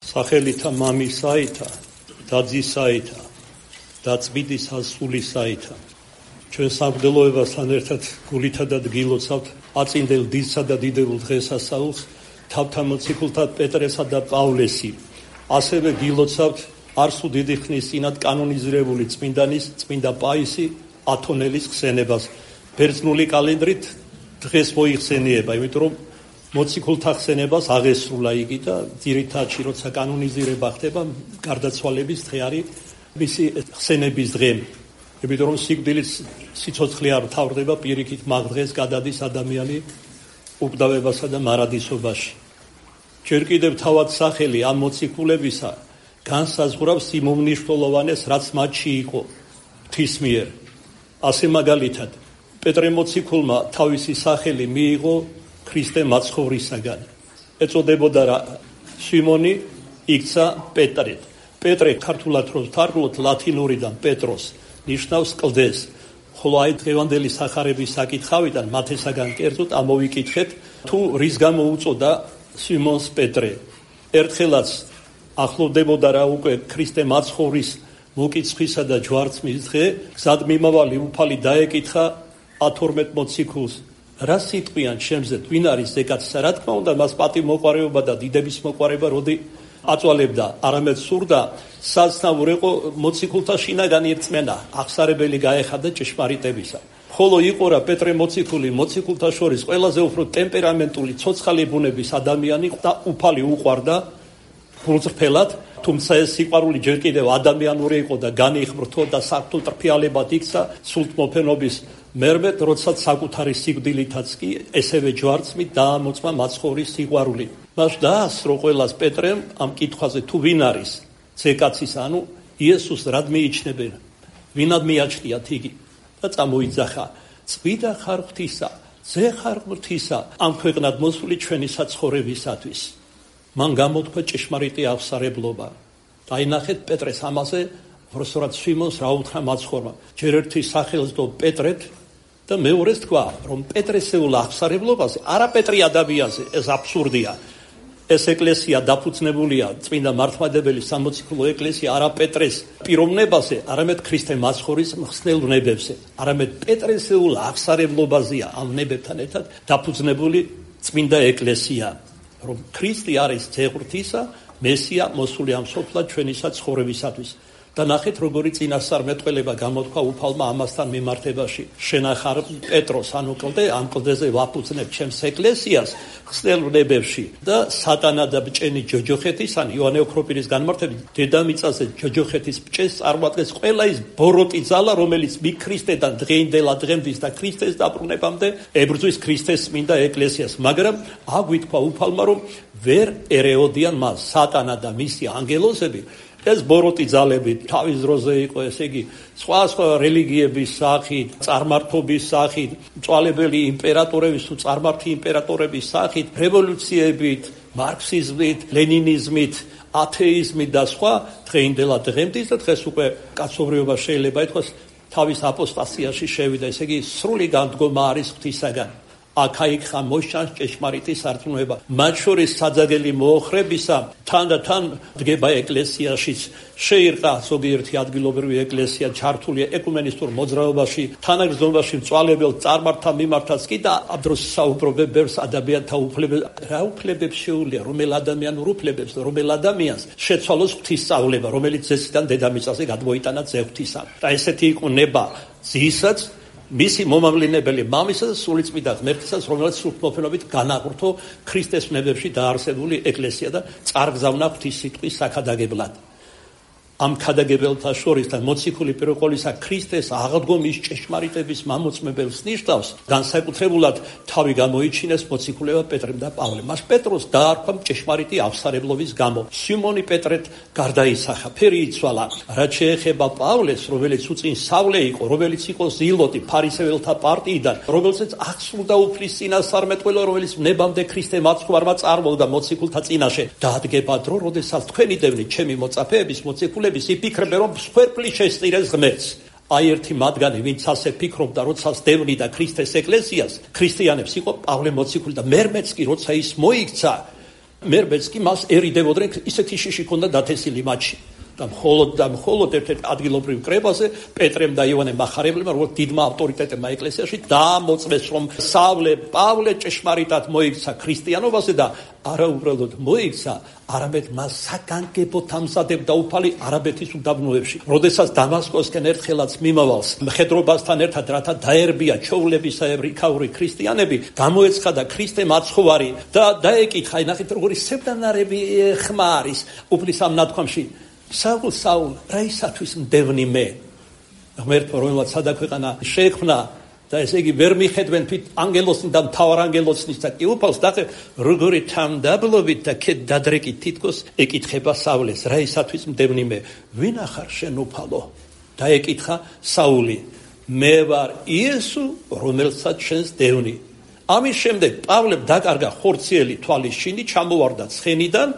სახელითა მამისაითა და ძისაითა და წმინდის სულისაითა. ჩვენ სამღვდელოებასთან ერთად გულითა და დგილოცავთ აწინდელ დიდსა და დიდებულ დღესასწაულს თავთა მოციქულთა პეტრესა და პავლესი. ასევე გილოცავთ არსუ დიდი ხნის წინათ კანონიზირებული წმინდანის წმინდა პაისი ათონელის ხსენებას. ბერძნული კალენდრით დღეს მოიხსენიება, იმიტომ რომ მოციქულთა ხსენებას აღესრულა იგი და ძირითადში როცა კანონიზირება ხდება, გარდაცვალების დღე არის მისი ხსენების დღე. იმიტომ რომ სიკვდილის სიცოცხლე არ მთავრდება, პირიქით მაგ დღეს გადადის ადამიანი უკვდავებასა და მარადისობაში. ჯერ კიდევ თავად სახელი ამ მოციქულებისა განსაზღვრავს იმ უმნიშვნელოვანეს, რაც მათში იყო ღვთის მიერ. ასე მაგალითად, პეტრე მოციქულმა თავისი სახელი მიიღო ქრისტე მაცხოვრისაგან. ეწოდებოდა რა სიმონი, იქცა პეტრეთ. პეტრე ქართულად რო ვთარგმნოთ ლათინურიდან პეტროს ნიშნავს კლდეს. ხოლო აი დღევანდელი სახარების საკითხავიდან მათესაგან კერძოდ ამოვიკითხეთ, თუ რის გამო უწოდა სიმონს პეტრე. ერთხელაც ახლოვდებოდა რა უკვე ქრისტე მაცხოვრის მოკიცხვისა და ჯვარცმის დღე, გზად მიმავალი უფალი დაეკითხა 12 მოციქულს, რა სიტყვიან ჩემზე, ვინ არის ზეკაცსა? რა თქმა უნდა, მას პატივმოყვარეობა და დიდების მოყვარება როდი აწვალებდა, არამედ სურდა საცნაურ იყო მოციქულთა შინაგანი რწმენა, აღსარებელი გაეხადა ჭეშმარიტებისა. ხოლო იყო რა პეტრე მოციქული მოციქულთა შორის ყველაზე უფრო ტემპერამენტული, ცოცხალი ბუნების ადამიანი და უფალი უყვარდა გულწრფელად, თუმცა ეს სიყვარული ჯერ კიდევ ადამიანური იყო და განიხრთო და საფრთხო ტრფიალებად იქცა სულთმოფენობის მერმედ, როდესაც საკუთარი სიკვდილითაც კი ესევე ჯვარცმით დაამოწმა მაცხოვრის სიყვარული. მას დაასრო ყველას პეტრემ ამ კითხვაზე, თუ ვინ არის ზეკაცის, ანუ იესოს რად მიიჩნევენ, ვინად მიაჩნიათ იგი და წამოიძახა, წვიდა ხარ ღვთისა, ზე ხარ ღვთისა ამ ქვეყნად მოსული ჩვენი საცხოვრებისათვის. მან გამოთქვა ჭეშმარიტი აღსარებლობა. დაინახეთ პეტრეს ამაზე, როსორად სიმონს რა უთხრა მაცხოვრმა. ჯერ ერთი სახელს დო პეტრეთ და მეორეს თქვა, რომ პეტრესეულ აღსარებლობაზე, არა პეტრი ადამიანზე, ეს აბსურდია. ეს ეკლესია დაფუძნებულია წმინდა მართლმადიდებელი სამოციქულო ეკლესია არა პეტრეს პიროვნებაზე, არამედ ქრისტე მაცხოვრის მხსნელ ვნებებზე, არამედ პეტრესეულ აღსარებლობაზეა ამ ვნებებთან ერთად დაფუძნებული წმინდა ეკლესია, რომ ქრისტე არის ძე ღვთისა, მესია მოსული ამ სოფლად ჩვენისა ცხოვრებისათვის. და ნახეთ როგორი წინასწარმეტყველება გამოთქვა უფალმა ამასთან მიმართებაში. შენახარ პეტროს, ანუ კლდე, ამ კლდეზე ვაფუძნებ ჩემს ეკლესიას ხსნელ ვნებებში და სატანა და ბჭენი ჯოჯოხეთისანი იოანე ოქროპირის განმარტებით დედამიწაზე ჯოჯოხეთის ბჭეს წარმოადგენს ყველა ის ბოროტი ძალა, რომელიც მიქრისტედან დღეინდელა დღემდის და ქრისტეს დაბრუნებამდე ებრძვის ქრისტეს წმინდა ეკლესიას. მაგრამ აგვითქვა უფალმა, რომ ვერ ერეოდიან მას სატანა და მისი ანგელოზები. ეს ბოროტი ძალები თავის დროზე იყო, ესე იგი სხვა რელიგიების სახით, წარმართობის სახით, მწვალებელი იმპერატორების თუ წარმართი იმპერატორების სახით, რევოლუციებით, მარქსიზმით, ლენინიზმით, ათეიზმით და სხვა დღეინდელა დღემდის და დღეს უკვე კაცობრიობა შეიძლება ითქვას თავის აპოსტასიაში შევიდა, ესე იგი სრული განდგომა არის ღვთისაგან. აქ-იქ მოშანს ჭეშმარიტი სარწმუნოება. მათ შორის საძაგელი მოოხრებისა თანდათან დგება ეკლესიაშიც. შეირყა ზოგიერთი ადგილობრივი ეკლესია, ჩართულია ეკუმენისტურ მოძრაობაში, თანაგრძნობაში მწვალებელ წარმართთა მიმართაც კი და ამ დროს საუბრობენ ბევრს ადამიანთა უფლებებს. რა უფლებებს შეუძლია რომელ ადამიანურ უფლებებს, რომელ ადამიანს შეცვალოს ღვთისწავლება, რომელიც ზესიდან დედამიწაზე გადმოიტანა ძე ღვთისა. და ესეთი იყო ნება ძისაც მისი მომავლინებელი მამისა და სულიწმიდა ღმერთისას, რომელიც სულთმოფენობით განაყრთო ქრისტეს ვნებებში დაარსებული ეკლესია და წარგზავნა ღვთის სიტყვის საქადაგებლად. ამ ქადაგებელთა შორის და მოციქული პირველყოლისა ქრისტეს აღდგომის ჭეშმარიტების მამოწმებელს ნიშნავს, განსაკუთრებულად თავი გამოიჩინეს მოციქულებმა პეტრემ და პავლემ. მას პეტროს დაარქვა ჭეშმარიტი აღსარებლობის გამო. სიმონი პეტრეთ გარდაისახა, ფერი იცვალა. რაც შეეხება პავლეს, რომელიც უწინ სავლე იყო, რომელიც იყო ზილოტი ფარისეველთა პარტიიდან, რომელსაც აღსრულდა უფლის წინასწარმეტყველო, რომელიც ვნებამდე ქრისტე მაცხვარმა წარმოვდა მოციქულთა წინაშე. დაადგება დრო, როდესაც თქვენი დევნით ჩემი მოწაფეების მოციქულები იფიქრებენ, რომ მსხვერპლი შესწირეს ღმერთს. აი ერთი მათგანი, ვინც ასე ფიქრობდა, როცა დევნიდა ქრისტეს ეკლესიას, ქრისტიანებს, იყო პავლე მოციქული და მერმეც კი, როცა ის მოიქცა, მერბეც კი მას ერიდებოდნენ, ისეთი შიში ჰქონდა დათესილი მათში. და მხოლოდ ერთ-ერთ ადგილობრივ კრებაზე პეტრემ და ივანე მახარებლებმა, როგორც დიდმა ავტორიტეტებმა ეკლესიაში დაამოწმეს, რომ სავლე პავლე ჭეშმარიტად მოიქცა ქრისტიანობაზე და არა უბრალოდ მოიქცა, არამედ მას საგანგებოდ ამზადებდა უფალი არაბეთის უდაბნოებში. როდესაც დამასკოსკენ ერთხელაც მიმავალს მხედრობასთან ერთად, რათა დაერბია ჩვეულებისეებრი ქაური ქრისტიანები, გამოეცხადა ქრისტე მაცხოვარი და დაეკითხა, ნახეთ როგორი სევდანარები ხმა არის უფლის ამ ნათქვამში. საულ, რა ისათვის მდევნი მე? ღმერთო, რომელსაც სადაქვეყანა შეექმნა და ესე იგი ვერ მიხედვენ თვით ანგელოსნი და მთავარ ანგელოსნის და კი უფალს და როგორი თამდაბლობით და ქეთ დადრეკით თითქოს ეკითხება საულეს, რა ისათვის მდევნი მე? ვინ ახარ შენ უფალო? დაეკითხა საული, მე ვარ იესო, რომელსაც შენს დევნი. ამის შემდეგ პავლემ დაკარგა ხორციელი თვალის შინი, ჩამოვარდა ცხენიდან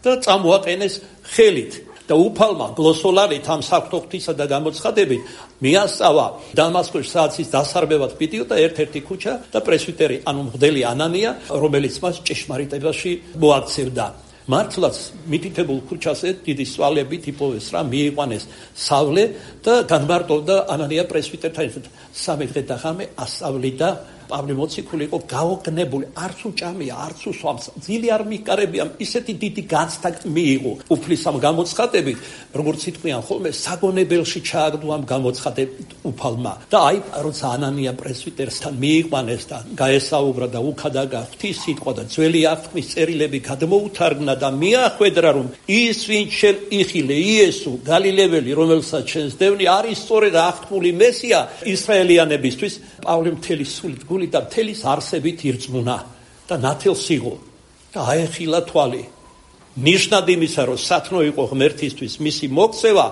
და წამოაყენეს ხელით. და უფალმა გლოსოლარით ამ საღვთო ღვთისა და გამოცხადებით მიასწავა დამასკოში, სადაც ის დასარბევად პიტიოდა ერთ-ერთი ქუჩა და პრესვიტერი, ანუ მღვდელი ანანია, რომელიც მას ჭეშმარიტებაში მოაქცევდა. მართლაც მითითებულ ქუჩაზე დიდი სვალებით იპოვეს რა, მიიყვანეს სავლე და განმარტოვდა ანანია პრესვიტერთან ერთად. 3 დღე და ღამე ასწავლიდა. პავლე მოციქული იყო გაოგნებული, არც უჭამია, არც უსვამს, ძილი არ მიკარებია, ისეთი დიდი განცდა მიიღო უფლის ამ გამოცხადებით, როგორც იტყვიან ხოლმე, საგონებელში ჩააგდო ამ გამოცხადებით უფალმა. და აი, როცა ანანია პრესვიტერსთან მიიყვანეს და გაესაუბრა და უქადაგა ღვთის სიტყვა და ძველი აღთქმის წერილები გადმოუთარგმნა და მიახვედრა, რომ ის ვინც შენ იხილე, იესო გალილეველი, რომელსაც შენს დევნი, არის სწორედ აღთქმული მესია ისრაელიანებისთვის. პავლე მთელი სულით და მთელის არსებით ირწმუნა და ნათელს იღო და აეხილა თვალი. ნიშნად იმისა, რომ სათნო იყო ღმერთისთვის მისი მოქცევა,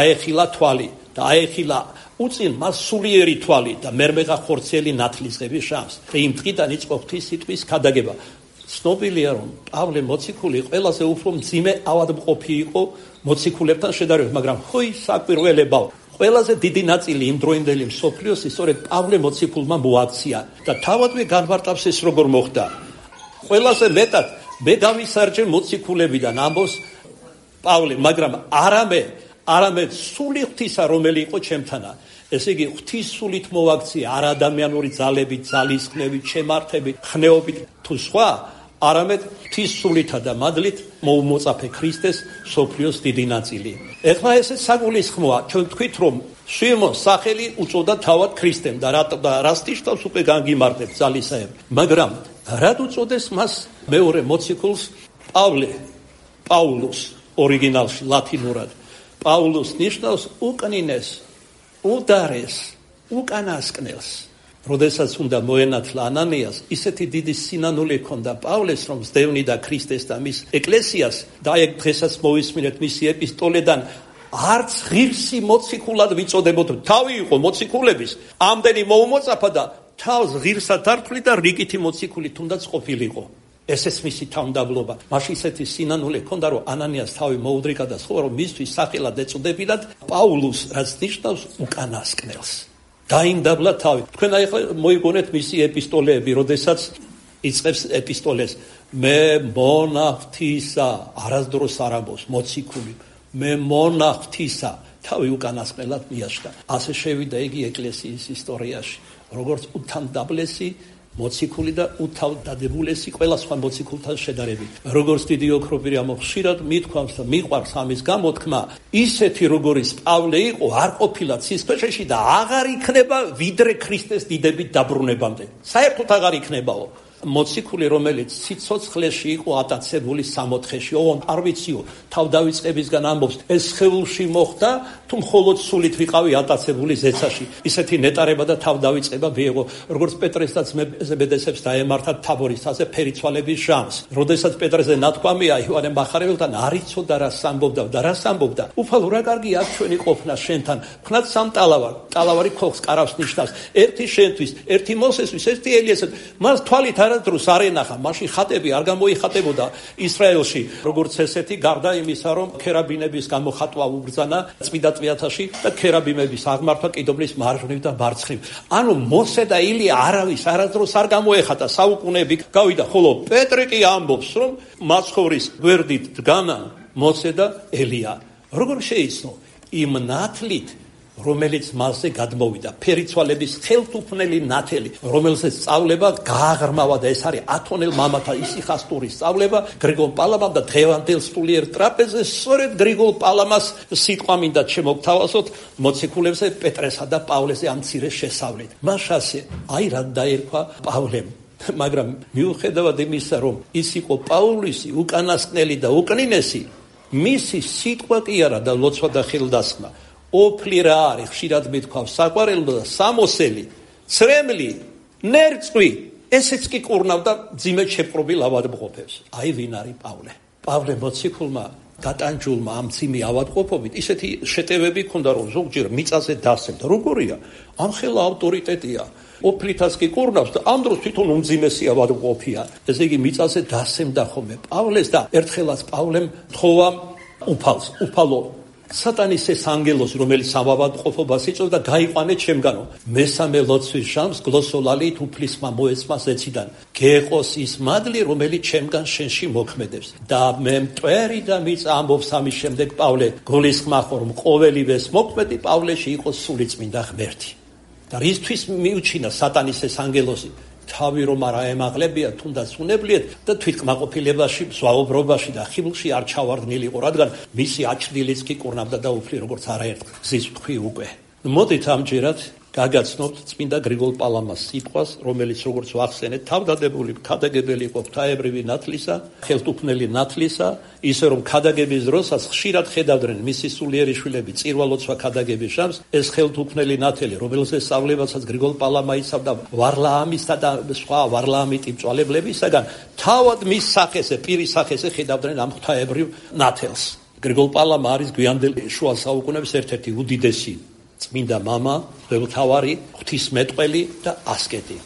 აეხილა თვალი და აეხილა უწინ მას სულიერი თვალი და მერმეღა ხორციელი ნათლისღების შანსი. და იმ დღიდან იწყო ღვთის სიტყვის ქადაგება. ცნობილია, რომ პავლე მოციქული ყველაზე უფრო მძიმე ავადმყოფი იყო მოციქულებთან შედარებით, მაგრამ ხოი საკვირველებაო. ყველაზე დიდი ნაწილი იმ დროინდელი მსოფლიოს სწორედ პავლე მოციქულმა მოაქცია და თავადვე განმარტავს ეს როგორ მოხდა. ყველაზე მეტად მე გავისარჯე მოციქულებიდან ამბობს პავლე, მაგრამ არამედ სული ღვთისა, რომელი იყო ჩემთანა. ესე იგი ღვთის სულით მოაქცია, არ ადამიანური ძალებით, ძალისხმევით, შემართებით, ხნეობით თუ სხვა, არამედ ღვთის სულითა და მადლით მოუმოწაფე ქრისტეს მსოფლიოს დიდი ნაწილი. ეხლა ესე საგულისხმოა, ჩვენ თქვით, რომ სვიმონს სახელი უწოდა თავად ქრისტემ და რას ნიშნავს უკვე განგიმარტებ ძალისაებ. მაგრამ რად უწოდეს მას მეორე მოციქულს პაულოს ორიგინალში ლათინურად? პაულოს ნიშნავს უკნინეს, უდარეს, უკანასკნელს. როდესაც უნდა მოენათლა ანანიას, ისეთი დიდი სინანული ჰქონდა პავლეს, რომ სდევნი და ქრისტეს და მის ეკლესიას და ეგ დღესაც მოვისმინეთ მისი ეპისტოლედან, არც ღირსი მოციქულად ვიწოდებოდ. თავი იყო მოციქულების, ამდენი მოუმოწაფა და თავს ღირსად ართვლი და რიგითი მოციქული თუნდაც ყოფილიყო. ესეც მისი თავმდაბლობა. მაშინ ისეთი სინანული ჰქონდა, რომ ანანიას თავი მოუდრიკა და სხვა, რომ მისთვის სახელად ეწოდებინათ პაულოს, რაც ნიშნავს უკანასკნელს. დაიმდაბლა თავი. თქვენ ახლა მოიგონეთ მისი ეპისტოლეები, როდესაც იწყებს ეპისტოლეს. მე მონა ღვთისა, არასდროს არ ამბობს მოციქული. მე მონა ღვთისა, თავი უკანასკნელად მიაშკა. ასე შევიდა იგი ეკლესიის ისტორიაში, როგორც უთავდაბლესი მოციქული და უთავდადებულესი ყველა სხვა მოციქულთან შედარებით. როგორც დიდი ოქროპირია ხშირად მithქვამს და მიყვარს ამის გამოთქმა, ისეთი როგორიც პავლე იყო, არ ყოფილა ცისქვეშეში და აღარ იქნება ვიდრე ქრისტეს დიდებით დაბრუნებამდე. საერთოდ აღარ იქნებაო. მოციქული, რომელიც სიცოცხლეში იყო ატაცებული სამოთხეში, ოღონდ არ ვიციო, თავდავიწყებისგან ამბობს, ეს სხეულში მოხდა, თუ მხოლოდ სულით ვიყავი ატაცებული ზეცაში. ისეთი ნეტარება და თავდავიწყება მიიღო, როგორც პეტრესაც ზებედესებს დაემართა თაბორის თაზე ფერიცვალების ჟამს. როდესაც პეტრეზე ნათქვამია იოანე მახარებელთან, არ იცოდა რას ამბობდა და რას ამბობდა. უფალო, რა კარგი აქ ჩვენი ყოფნა შენთან. ხნად სამ ტალავარი ქოხს კარავს ნიშნავს. ერთი შენთვის, ერთი მოსესთვის, ერთი ელიესეს. მას თვალით არ არადროს არ ენახა, მაშინ ხატები არ გამოიხატებოდა ისრაელში, როგორც ესეთი, გარდა იმისა, რომ ქერაბინების გამოხატვა უბრძანა წმინდა წვიათაში და ქერაბინების აღმართვა კიდობლის მარჯვნივ და მარცხნივ. ანუ მოსე და ილია არავის არადროს არ გამოეხატა, საუკუნეები გავიდა, ხოლო პეტრე კი ამბობს, რომ მაცხოვრის გვერდით დგანა მოსე და ელია. როგორ შეიცნო? იმ ნათლით, რომელიც მასზე გადმოვიდა, ფერიცვალების ხელთუქმნელი ნათელი, რომელზეც სწავლება გააღრმავა და ეს არის ათონელ მამათა ისიხასტურის სწავლება გრიგოლ პალამამ და დღევანდელ სულიერ ტრაპეზზე სწორედ გრიგოლ პალამას სიტყვა მინდა შემოგთავაზოთ მოციქულებზე პეტრესა და პავლეზე ამ მცირე შესავლით. მას ასე აი რა დაერქვა პავლემ, მაგრამ მიუხედავად იმისა, რომ ის იყო პავლისი უკანასკნელი და უკნინესი, მისი სიტყვა კი არა და ლოცვა და ხელდასხმა ოფლი რა არის, ხშირად მithქვავს საყვარელო და სამოსელი, ცრემლი, ნერწყვი, ესეც კი კურნავდა ძიმედ შეპყრობილ ავადმყოფებს. აი ვინ არის პავლე? პავლე მოციქულმა დატანჯულმა ამ ძიმე ავადმყოფობით ისეთი შეტევები ჰქონდა, რომ ზოგჯერ მიწაზე დასემდა. როგორია? ამ ხელა ავტორიტეტია. ოფლითაც კი კურნავს და ამ დროს თვითონ უმძიმესი ავადმყოფია. ესე იგი მიწაზე დასემდა ხოლმე პავლეს და ერთხელაც პავლემ თხოვა უფალო სატანის ეს ანგელოზი, რომელიც ავადმყოფობას იწვევდა, გაიყვანე ჩემგანო. მესამე ლოცვის ჟამს გლოსოლალით უფლისმა მოეცმა ზეციდან. გეყოს ის მადლი, რომელიც ჩემგან შენში მოქმედებს. და მე მტვერი და მიწა ამბობს ამის შემდეგ პავლე გულისხმახ რომ ყოველივეს მოქმედი პავლეში იყოს სული წმინდა ღმერთი. და რისთვის მიუჩინა სატანის ეს ანგელოზი? თავი რომ არა ემაღლებია, თუნდაც უნებლიეთ და თვითკმაყოფილებაში, ზვაობრობაში და ხიბლში არ ჩავარდნილიყო, რადგან მისი აჩრდილიც კი კურნავდა და უფლი როგორც არაერთ გზის თქვი უკვე. მოდით ამჯერად გაგაცნობთ წმინდა გრიგოლ პალამას სიტყვას, რომელიც როგორც ვახსენეთ, თავდადებული ქადაგებელი იყო ღვთაებრივი ნათლისა, ხელთუქმნელი ნათლისა, ისე რომ ქადაგების დროსაც ხშირად ხედავდნენ მისი სულიერი შვილები წირვალოცვა ქადაგების ჟამს, ეს ხელთუქმნელი ნათელი, რომელზეც სწავლებასაც გრიგოლ პალამა იცავდა ვარლაამისა და სხვა ვარლაამიტი მწვალებლებისაგან, თავად მის სახეზე, პირის სახეზე ხედავდნენ ამ ღვთაებრივ ნათელს. გრიგოლ პალამა არის გვიანდელ შუა საუკუნეების ერთ-ერთი უდიდესი წმინდა მამა, მღვდელმთავარი, ღვთისმეტყველი და ასკეტი.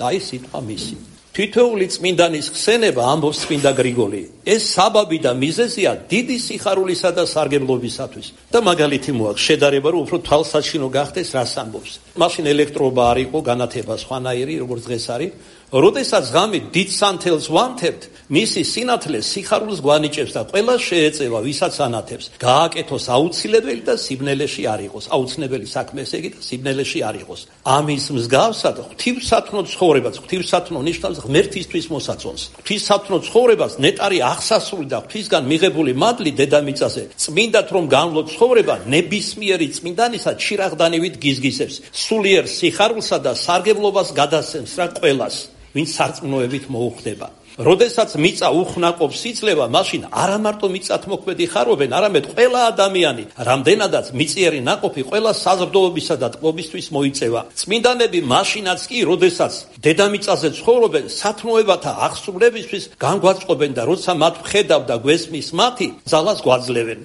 აი სიტყვა მისი. თითოეული წმინდანის ხსენება ამბობს წმინდა გრიგოლი. ეს საბაბი და მიზეზია დიდი სიხარულისა და სარგებლობისათვის. და მაგალითი მოაქვს შედარება, რომ უფრო თვალსაჩინო გახდეს, რას ამბობს. მაშინ ელექტრობა არ იყო, განათება სხვანაირი, როგორც დღეს არის. როდესაც ღამით დიდ სანთელს ვანთებთ, მისი სინათლე სიხარულს გვანიჭებს და ყველა შეეწევა, ვისაც ანათებს. გააკეთოს აუცილებელი და სიბნელეში არ იყოს. აუცილებელი საქმე ესე იგი და სიბნელეში არ იყოს. ამის მსგავსად ღვთივსათნო ცხოვრებას, ღვთივსათნო ნიშნავს ღმერთისთვის მოსაწონს. ღვთისათნო ცხოვრებას ნეტარი აღსასრული და ღვთისგან მიღებული მადლი დედამიწაზე წმინდად რომ განვლო ცხოვრება ნებისმიერი წმინდანისა ჩირაღდანივით გიზგისებს. სულიერ სიხარულსა და სარგებლობას გადასცემს რა ყველას, ვინც სარწმუნოებით მოუხდება. როდესაც მიწა უხნაყოფს იძლევა, მაშინ არა მარტო მიწათ მოქმედი ხარობენ, არამედ ყველა ადამიანი, რამდენადაც მიწიერი ნაყოფი ყველა საზრდოობისა და ტკბობისთვის მოიწევა. წმინდანები მაშინაც კი, როდესაც დედამიწაზე ცხოვრობენ, სათნოებათა აღსრულებისთვის განგვაწყობენ და როცა მათ ვხედავ და გვესმის მათი, ძალას გვაძლევენ.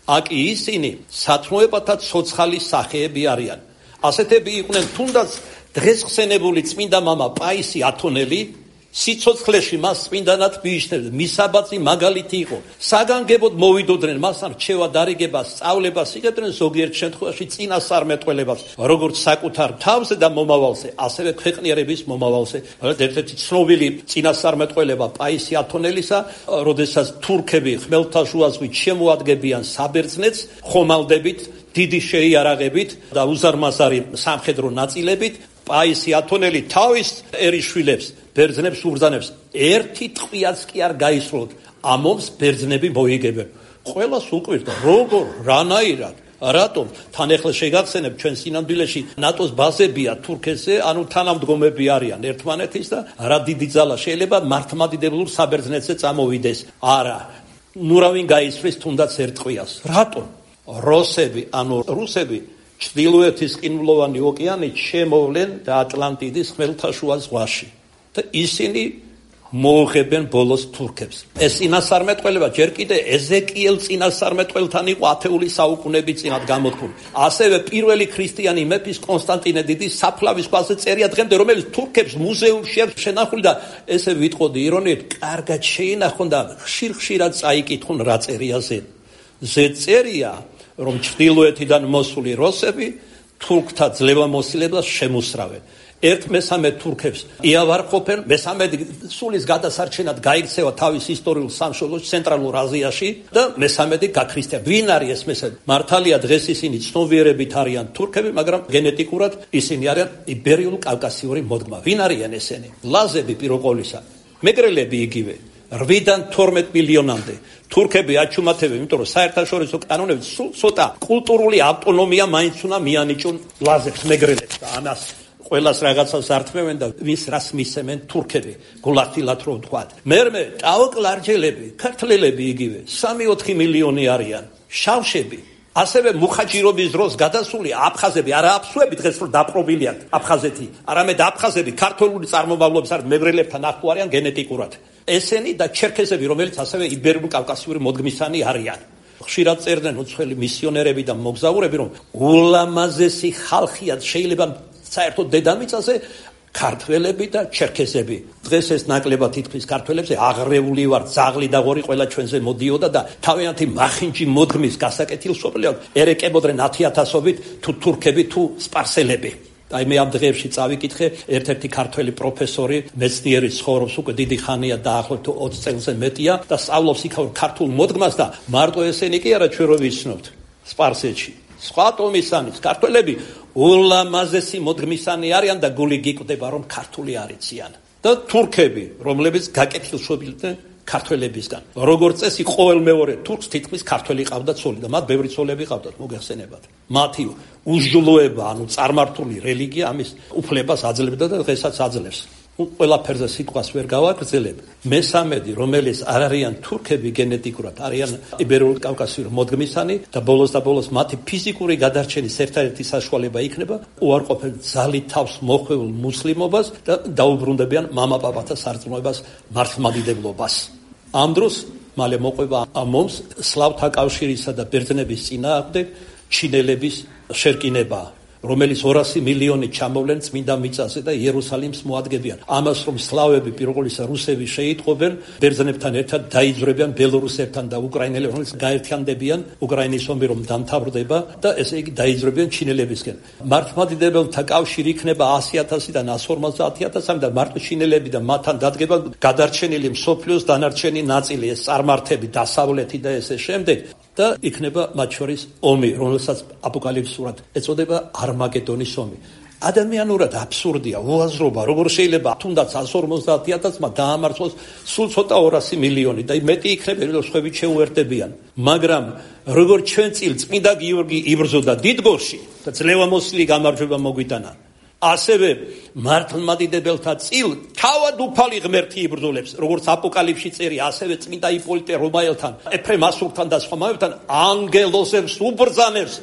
აკი ისინი სათნოებათა ცოცხალი სახეები არიან. ასეთები იყვნენ თუნდაც დღეს ხსენებული წმინდა მამა პაისი ათონელი, სიცოცხლეში მას წმინდანად მიიჩნევდნენ, მისაბაძი მაგალითი იყო. საგანგებოდ მოვიდოდნენ მასთან რჩევა დარიგებას, სწავლებას იღებდნენ ზოგიერთ შემთხვევაში წინასწარმეტყველებას, როგორც საკუთარ თავზე და მომავალზე, ასევე ქვეყნიერების მომავალზე. ერთ-ერთი ცნობილი წინასწარმეტყველება პაისი ათონელისა, როდესაც თურქები ხმელთაშუა ზღვით შემოადგენენ საბერძნეთს ხომალდებით, დიდი შეიარაღებით და უზარმაზარი სამხედრო ნაწილებით, პაისი ათონელი თავის ერისშვილებს ბერძნებს უბრძანებს, ერთი ტყვიაც კი არ გაისროლოთ, ამობს ბერძნები მოიგებენ. ყველას უკვირდა, როგორ, რანაირად, რატომ? თან ახლა შეგახსენებ, ჩვენ სინამდვილეში ნატოს ბაზებია თურქეთზე, ანუ თანამდგომები არიან ერთმანეთის და რა დიდი ძალა შეიძლება მართლმადიდებლურ საბერძნეთზე წამოვიდეს. არა, ნურავინ გაისვრის თუნდაც ერთ ტყვიას. რატომ? როსები, ანუ რუსები ჩრდილოეთის ყინულოვანი ოკეანით შემოვლენ და ატლანტიდის ხმელთაშუა ზღვაში. და ისინი მოუღებენ ბოლოს თურქებს. ეს წინასწარმეტყველება ჯერ კიდე ეზეკიელ წინასწარმეტყველთან იყო ათეული საუკუნეების წინათ გამოთქმული. ასევე პირველი ქრისტიანი მეფის კონსტანტინე დიდის საფლავის ქვაზე წერია დღემდე, რომელიც თურქებს მუზეუმში აქვს შენახული და ესე ვიტყოდი ირონიით, კარგად შეინახონ და ხშირ-ხშირად წაიკითხონ რა წერია ზე. ზე წერია, რომ ჩრდილოეთიდან მოსული როსები თურქთა ძლევამოსილებას შემოსრავენ. ერთ-მესამედ თურქებს იავარყოფენ, მესამედი სულის გადასარჩენად გაიქცევა თავის ისტორიულ სამშობლოში ცენტრალურ აზიაში და მესამედი გაქრისტიან. ვინ არის ეს მესამედი? მართალია დღეს ისინი ცნობიერებით არიან თურქები, მაგრამ გენეტიკურად ისინი არიან იბერიულ-კავკასიური მოდგმა. ვინ არიან ესენი? ლაზები პიროყოლისა, მეგრელები იგივე. 8-დან 12 მილიონამდე თურქები აჩუმათებენ, იმიტომ რომ საერთაშორისო კანონებით სულ ცოტა კულტურული ავტონომია მაინც უნდა მიანიჭონ ლაზებს, მეგრელებს და ამას ყველას რაღაცას ართმევენ და ვის რას მისცემენ თურქები, გულახდილად რომ ვთქვათ. მერმე ტაოკლარჯელები, ქართველები იგივე 3-4 მილიონი არიან, შავშები, ასევე მუხაჯირობის დროს გადასული აფხაზები, არა აფსუები დღეს რომ დაპყრობილია აფხაზეთი, არამედ აფხაზები ქართული წარმომავლობის არ მეგრელებთან ახლო არიან გენეტიკურად. ესენი და ჩერქეზები, რომელიც ასევე იბერიულ-კავკასიური მოდგმისანი არიან. ხშირად წერდნენ უცხოელი მისიონერები და მოგზაურები, რომ ულამაზესი ხალხია შეიძლება საერთოდ დედამიწაზე ქართველები და ჩერქეზები. დღეს ეს ნაკლებად თითქმის ქართველებზე აღრეული ვარ, ძაღლი და ღორი ყველა ჩვენზე მოდიოდა და თავიანთი მახინჯი მოდგმის გასაკეთილშობილად ერეკებოდნენ 10,000-ობით თუ თურქები თუ სპარსელები. აი მე ამ დღეებში წავიკითხე, ერთ-ერთი ქართველი პროფესორი, მეცნიერი ცხოვრობს უკვე დიდი ხანია, დაახლოებით 20 წელზე მეტია და სწავლობს იქაურ ქართულ მოდგმას და მარტო ესენი კი არა ჩვენ რო ვიცნობთ სპარსეთში. სხვა ტომისანის ქართველები ულამაზესი მოდგმისანი არიან და გული გიკვდება რომ ქართული არიციან. და თურქები, რომლებიც გაკეთილშობილდნენ ქართველებისგან. როგორც წესი ყოველ მეორე თურქს თითქმის ქართველი ყავდა ცოლი და მათ ბევრი ცოლები ყავდათ, მოგეხსენებათ. მათი უჟლოება, ანუ წარმართული რელიგია ამის უფლებას აძლევდა და დღესაც აძლევს. ყველაფერზე სიტყვას ვერ გავაგრძელებ. მესამედი, რომელიც არ არიან თურქები გენეტიკურად, არიან იბერიულ-კავკასიური მოდგმისანი და ბოლოს და ბოლოს მათი ფიზიკური გადარჩენის ერთადერთი საშუალება იქნება უარყოფენ ძალით თავს მოხვეულ მუსლიმობას და დაუბრუნდებიან მამა-პაპათა სარწმუნოებას, მართლმადიდებლობას. ამ დროს მალე მოყვება ამომს სლავთა კავშირისა და ბერძნების წინააღმდეგ ჩინელების შერკინება, რომელიც 200 მილიონი ჩამოვლენ წმინდა მიწაზე და იერუსალიმს მოადგებიან. ამას რომ სლავები, პირველისა რუსები შეიტყობენ, ბერძნებთან ერთად დაიძვრებიან ბელორუსებთან და უკრაინელებს, რომელიც გაერთიანდებიან, უკრაინის ომი რომ დამთავრდება და ესე იგი დაიძვრებიან ჩინელებისკენ. მართლმადიდებელთა კავშირი იქნება 100,000-დან 150,000 და მარტო ჩინელები და მათთან დადგება გადარჩენილი მსოფლიოს დანარჩენი ნაწილი, ეს წარმართები, დასავლეთი და ესე შემდეგ. და იქნება მათ შორის ომი, რომელსაც აპოკალიფსურად ეწოდება არმაგედონის ომი. ადამიანურად აბსურდია, უაზრობა, როგორ შეიძლება თუნდაც 150,000-მა დაამარცხოს სულ ცოტა 200 მილიონი და მეტი იქნებიან, რომ სხვები შეუერთდებიან. მაგრამ როგორც ჩვენ წილ წმინდა გიორგი იბრძოდა დიდგორში და ძლევამოსილი გამარჯვება მოგვიტანა, ასევე მართლმადიდებელთა წილ თავად უფალი ღმერთი იბრძოლებს, როგორც აპოკალიფსში წერია, ასევე წმინდა იპოლიტე რომაელთან, ეფრემ ასურთან და სხვა მომებთან ანგელოზებს უბრძანებს.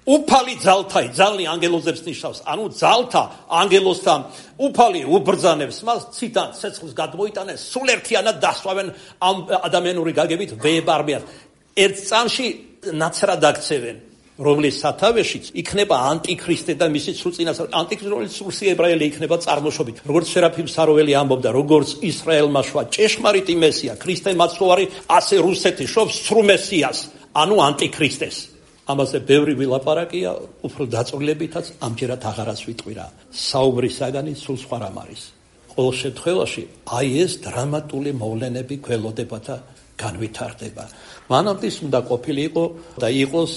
უფალი ძალთაი, ძალნი ანგელოზებს ნიშნავს, ანუ ძალთა ანგელოზთან უფალი უბრძანებს, მას ციდან ცეცხლს გადმოიტანეს, სულ ერთიანად დასვავენ ამ ადამიანური გაგებით ვეებარმიას. ერთ წამში ნაცრად აქცევენ, რომლის სათავეშიც იქნება ანტიქრისტე და მისი სულ წინასწარ ანტიქრისტე, რომელიც სულსი ებრაელი იქნება წარმოშობით. როგორც სერაფიმ საროველი ამბობდა, როგორც ისრაელმა შვა ჭეშმარიტი მესია, ქრისტე მაცხოვარი, ასე რუსეთი შობს სრულ მესიას, ანუ ანტიქრისტეს. ამაზე ბევრი ვილაპარაკია, უფრო დაწვრილებითაც ამჯერად აღარაც ვიტყვირა. საუბრის საგანი სულ სხვა რამ არის. ყოველ შემთხვევაში, აი ეს დრამატული მოვლენები გველოდება და განვითარდება. მანამდე უნდა ყოფილიყო და იყოს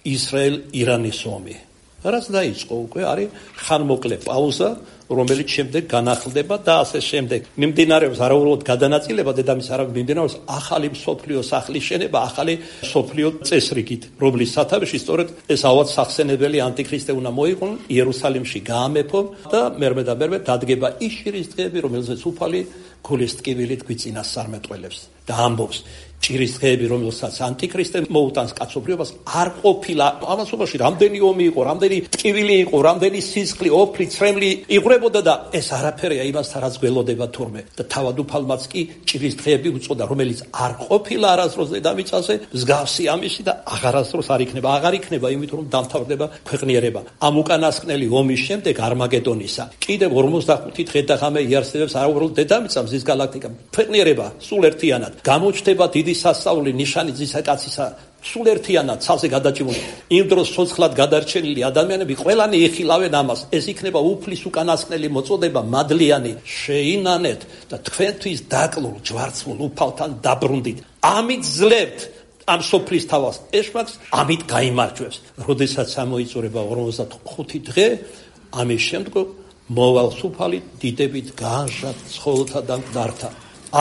ისრაელ-ირანის ომი. რაც დაიწყო უკვე არის ხანმოკლე პაუზა, რომელიც შემდეგ განახლდება და ასე შემდეგ. მიმდინარეობს არაუბრალოდ გადანაწილება დედამის, არამედ მიმდინარეობს ახალი მსოფლიო სახლის შენება, ახალი მსოფლიო წესრიგით, რომლის სათავეში სწორედ ეს ავად სახსენებელი ანტიქრისტე უნდა მოიყვანონ, იერუსალიმში გაამეფონ და მერმე დადგება ის შირის დღეები, რომელზეც უფალი გულის ტკივილით გვიწინასწარმეტყველებს და ამბობს, ჭირის დღეები, რომელსაც ანტიქრისტე მოუტანს კაცობრიობას, არ ყოფილა. ამასობაში რამდენი ომი იყო, რამდენი ტკივილი იყო, რამდენი სისხლი, ოფლი, ცრემლი იღვრებოდა და ეს არაფერია იმასთან, რაც გველოდება თურმე. და თავად უფალმაც კი ჭირის დღეები უწოდა, რომელიც არ ყოფილა არასდროს დედამიწაზე, მსგავსი ამისი და აღარასდროს არ იქნება. აღარ იქნება, იმიტომ რომ დამთავრდება ქვეყნიერება. ამ უკანასკნელი ომის შემდეგ არმაგედონისა კიდევ 45 დღე და ღამე იარსებებს არა უბრალოდ დედამიწა, მზის გალაქტიკა, ქვეყნიერება სულ ერთიანად გამოჩნდება დიდი სასწაული ნიშანი ძისა კაცისა სულ ერთიანად ცალზე გადაჭიმული. იმ დროს ცოცხლად გადარჩენილი ადამიანები ყველანი ეხილავენ ამას. ეს იქნება უფლის უკანასკნელი მოწოდება მადლიანი. შეინანეთ და თქვენთვის დაკლულ ჯვარცმულ უფალთან დაბრუნდით. ამით ძლევთ ამ სოფლის თავს ეშმაკს, ამით გაიმარჯვებს. როდესაც ამოიწურება 45 დღე, ამის შემდგომ მოვალს უფალი დიდებით გაანჟად ცხოველთა და მკვდართა.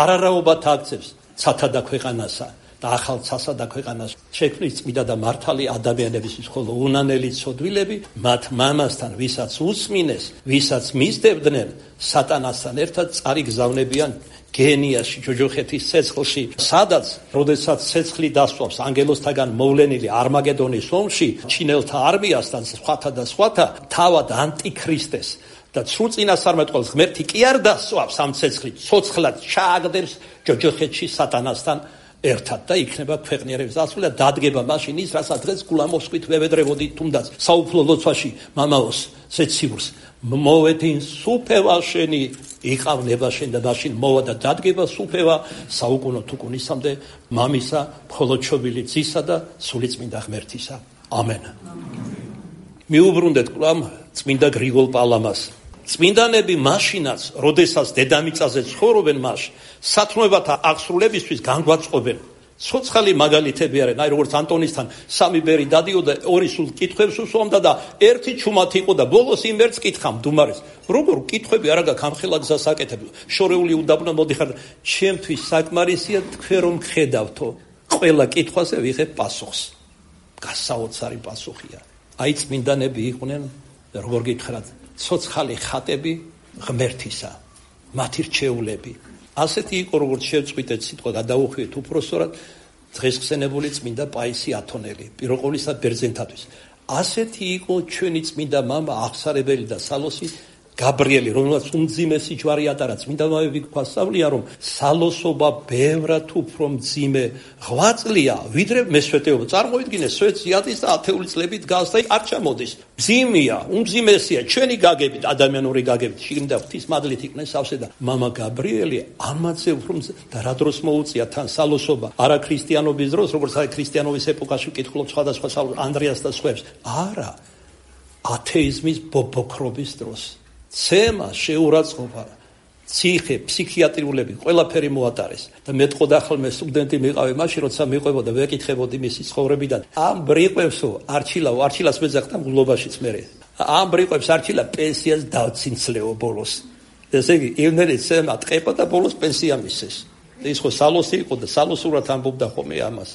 არარაობათ აქცევს ცათა და ქვეყანასა და ახალ ცასა და ქვეყანას შექმნის წმინდა და მართალი ადამიანებისთვის, ხოლო უნანელი ცოდვილები მათ მამასთან, ვისაც უსმინეს, ვისაც მისდევდნენ, სატანასთან ერთად წარიგზავნებიან გენიაში, ჯოჯოხეთის ცეცხლში, სადაც, როდესაც ცეცხლი დასვავს ანგელოსთაგან მოვლენილი არმაგედონის ომში, ჩინელთა არმიასთან, სხვათა, თავად ანტიქრისტეს და სრულ წინასწარმეტყველს ღმერთი კი არ დასვავს ამ ცეცხლით, ცოცხლად ჩააგდებს ჯოჯოხეთში სატანასთან ერთად და იქნება ქვეყნიერების დასრულება და დადგება მაშინ ის, რასაც დღეს გულამოსყვით ვევედრებოდი თუნდაც საუფლო ლოცვაში მამაოს ზეციურს მოვედინ სუფევა შენი იყავნება შენ და მაშინ მოვა და დადგება სუფევა საუკუნო თუკუნისამდე მამისა მხოლოდშობილი ძისა და სულიწმინდა ღმერთისა. ამენ. მიუბრუნდეთ კვლავ წმინდა გრიგოლ პალამას. წმინდანები მაშინაც, როდესაც დედამიწაზე ცხოვრობენ, მას სათნოებათა აღსრულებისთვის განგვაწყობენ. ცოცხალი მაგალითები არიან, აი როგორც ანტონისთან 3 ბერი დადიოდა, 2 სულ კითხვებს უსვამდა და 1 ჩუმად იყო და ბოლოს იმ ერთს კითხა მდუმარეს. როგორ კითხვები არა გაქვს ამხელა გზას აკეთებ. შორეული უდაბნო მოდიხარ, ჩემთვის საკმარისია თქვენ რომ ხედავთო. ყველა კითხვაზე ვიღებ პასუხს. გასაოცარი პასუხია. აი წმინდანები იყვნენ, როგორ გითხრათ, ცოცხალი ხატები ღმერთისა, მათი რჩეულები. ასეთი იყო, როგორც შევწყვიტეთ სიტყვა გადაუხვიეთ უფროსწორად დღეს ხსენებული წმინდა პაისი ათონელი, პირველ ყოვლისა ბერძენთათვის. ასეთი იყო ჩვენი წმინდა მამა აღსარებელი და სალოსი გაბრიელი, რომელსაც უმძიმესი ჯვარი ატარა. წმინდა მამები გვასწავლიან, რომ სალოსობა ბევრად უფრო მძიმე ღვაწლია, ვიდრე მესვეტეობა. წარმოიდგინე, სვეტს იატის და 10 წლებით დგას და არ ჩამოდის. მძიმეა, უმძიმესია ჩვენი გაგებით, ადამიანური გაგებით. შიგნით ღვთის მადლით იქნეს სავსე და მამა გაბრიელი ამაზე უფრო და რა დროს მოუწია თან სალოსობა? არა ქრისტიანობის დროს, როგორც აი ქრისტიანობის ეპოქაში ვკითხულობ სხვადასხვა ანდრიას და სხვებს. არა, ათეიზმის ბობოქრობის დროს. ცემა, შეურაცხყოფა, ციხე, ფსიქიატრიულები, ყველაფერი მოატარეს. და მეტყოდა ხოლმე სტუდენტი მიყავე მაშინ, როცა მიყვებოდა, ვეკითხებოდი მისი ცხოვრებიდან. ამ ბრიყვებსო, არჩილას მეძახდა მგლობაშიც მერე. ამ ბრიყვებს არჩილა პენსიას დავცინცლეო ბოლოს. ესე იგი, ივნელი ცემა ტყეპა და ბოლოს პენსია მისცეს. ის ხო სალოსი იყო და სალოსურად ამბობდა ხოლმე ამას.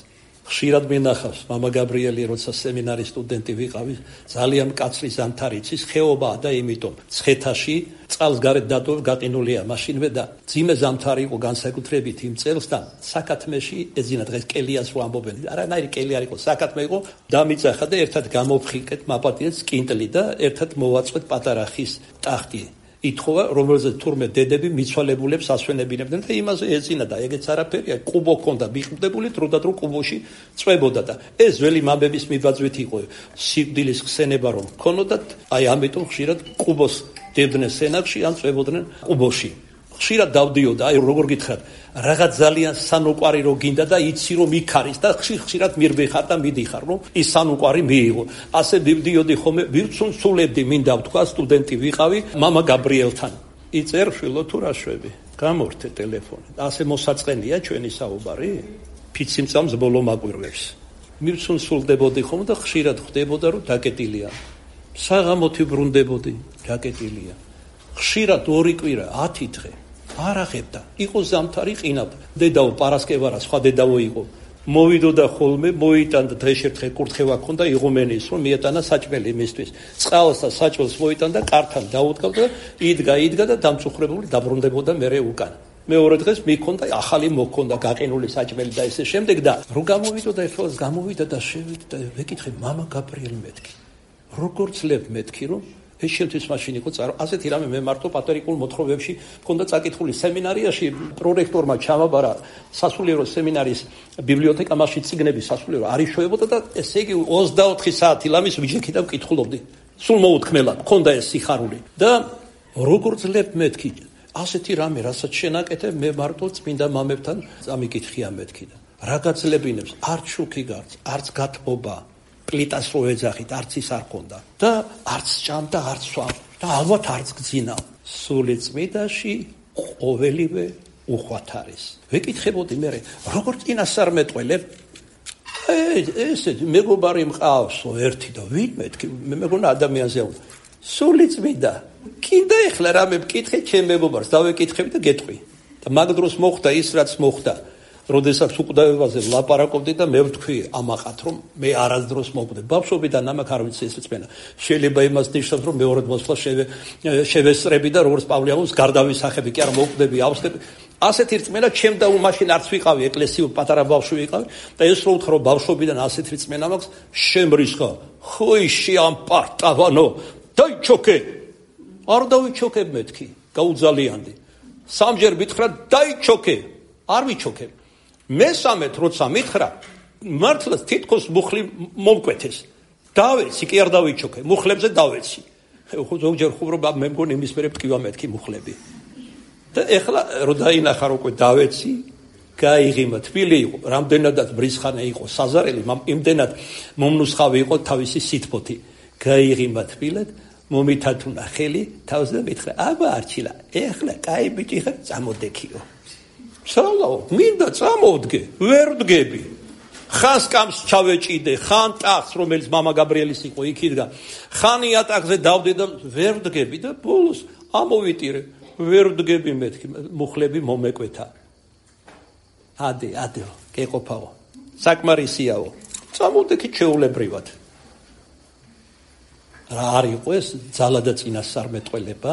ხშირად მინახავს მამა გაბრიელი, როცა სემინარის სტუდენტი ვიყავი, ძალიან მკაცრი ზამთარიცის ხეობაა და იმიტომ ცხეთაში წყალს გარეთ გაყინულია მაშინვე და ძიმე ზამთარი იყო განსაკუთრებით იმ წელს და საკათმეში ეძინა დღეს კელიას რო ამბობენ. არანაირი კელი არ იყო, საკათმე იყო, დამიწახა და ერთად გამოფხიკეთ მაპატიეს კინტლი და ერთად მოვაწყვეთ პატარა ხის ტახტი. ითხოვა, რომელზეც თურმე დედები მიცვალებულებს ასვენებინებდნენ და იმაზე ეძინა და ეგეც არაფერია, კუბო ჰქონდა მიყრდებული, დრო და დრო კუბოში წვებოდა და ეს ძველი მამების მიბაძვით იყო სიკვდილის ხსენება რომ ჰქონოდათ, აი ამიტომ ხშირად კუბოს დებდნენ სენაკში ან წვებოდნენ კუბოში. ხშირად დავდიოდა, აი როგორ გითხრათ, რაღაც ძალიან სანუკვარი რო გინდა და იცი რომ იქ არის და ხშირად მირბეხარ და მიდიხარ რომ ის სანუკვარი მიიღო. ასე მივდიოდი ხოლმე, ვირცუნცულებდი, მინდა ვთქვა, სტუდენტი ვიყავი, მამა გაბრიელთან. იწერ შვილო თუ რა შვები? გამორთე ტელეფონი. ასე მოსაწყენია ჩვენი საუბარი? ფიციმწამს ბოლო მაკვირვებს. მივცუნცულდებოდი ხოლმე და ხშირად ხვდებოდა რომ დაკეტილია. საღამოთი ბრუნდებოდი, დაკეტილია. ხშირად 2 კვირა, 10 დღე. არ აღებდა. იყო ზამთარი ყინავ. დედაო პარასკევარა, სხვა დედაო იყო. მოვიდოდა ხოლმე, მოიტანდა დღეშერთხე კურთხევა ქონდა იღუმენის, რომ მიეტანა საჭმელი მისთვის. წყალს და საჭმელს მოიტანდა, კართან დაუდგავდა, იდგა და დამწუხრებული დაბრუნდებოდა მერე უკან. მეორე დღეს მიქონდა ახალი მოქონდა გაყინული საჭმელი და ესე შემდეგ და რო გამოვიდოდა ეხლა გამოვიდა და შევიდა და ვეკითხე მამა გაბრიელი მეთქი როგორ ძლებ მეთქი რომ ეს შეთვის მაშინ იყო ასეთი რამე მე მარტო პატრიკულ მოთხრობებში მქონდა წაკითხული სემინარიაში პრორექტორმა ჩამაბარა სასულიერო სემინარის ბიბლიოთეკა მასში წიგნები სასულიერო არის შევებოდა და ესე იგი 24 საათი ლამის ვიჯექი და ვკითხულობდი სულ მოუთქმელად მქონდა ეს სიხარული და როგორ ძლებ მეთქი ასეთი რამე რასაც შენაკეთებ მე მარტო წმინდა მამებთან წამიკითხია მეთქი და რა გაძლებინებს არც შუქი გარც არც გათბობა პლიტას რო ეძახით არც ის არ ხონდა და არც ჭამდა არც სვამ და ალბათ არც გძინა სული წმიდაში ყოველივე უხვად არის ვეკითხებოდი მე როგორ წინასწარ მეტყველებ ესეთი მეგობარი მყავსო ერთი და ვინ მეთქი მე მეგონა ადამიანზე უნდა სული წმიდა კიდე ეხლა რამე მკითხე ჩემ მეგობარს დავეკითხები და გეტყვი და მაგ დროს მოხდა ის რაც მოხდა როდესაც უკვდავებაზე ვლაპარაკობდი და მე ვთქვი ამაყად რომ მე არასდროს მოვკვდე ბავშვობიდან ამაკ არ ვიცი ეს რწმენა შეიძლება იმას ნიშნავს რომ მეორე მოსვლა შევესწრები და როგორც პავლე ამბობს გარდავისახები კი არა მოვკვდები ავსდები ასეთი რწმენა ჩემ და მაშინ არც ვიყავი ეკლესიურ პატარა ბავშვი ვიყავი და ეს რო ვთქვა რომ ბავშვობიდან ასეთი რწმენა მაქვს შემრისხა ხოიში ამ პარტავანო დაიჩოქე არ დავიჩოქებ მეთქი გაუძალიანდი სამჯერ მითხრა დაიჩოქე არ ვიჩოქე მესამედ როცა მითხრა მართლაც თითქოს მუხლი მომკვეთეს დავეცი კი არ დავიჩოქე მუხლებზე დავეცი ზოგჯერ ხუბრობა მე მგონი იმის მერე მტკივა მეთქი მუხლები და ეხლა რო დაინახა რომ უკვე დავეცი გაიღიმა თბილი იყო რამდენადაც ბრისხანე იყო საზარელი იმდენად მომნუსხავი იყო თავისი სითბოთი გაიღიმა თბილად მომითათუნა ხელი თავზე და მითხრა აბა არჩილა ეხლა კაი ბიჭი ხარ წამოდექიო სალაო მინდა წამოვდგე ვერ ვდგები ხან სკამს ჩავეჭიდე ხან ტახტს რომელიც მამა გაბრიელის იყო იქ იდგა ხან იატაკზე დავდე და ვერ ვდგები და ბოლოს ამოვიტირე ვერ ვდგები მეთქი მუხლები მომეკვეთა ადე გეყოფაო საკმარისიაო წამოვდექი ჩეულებრივად რა არის იყო ეს ძალა და წინასწარმეტყველება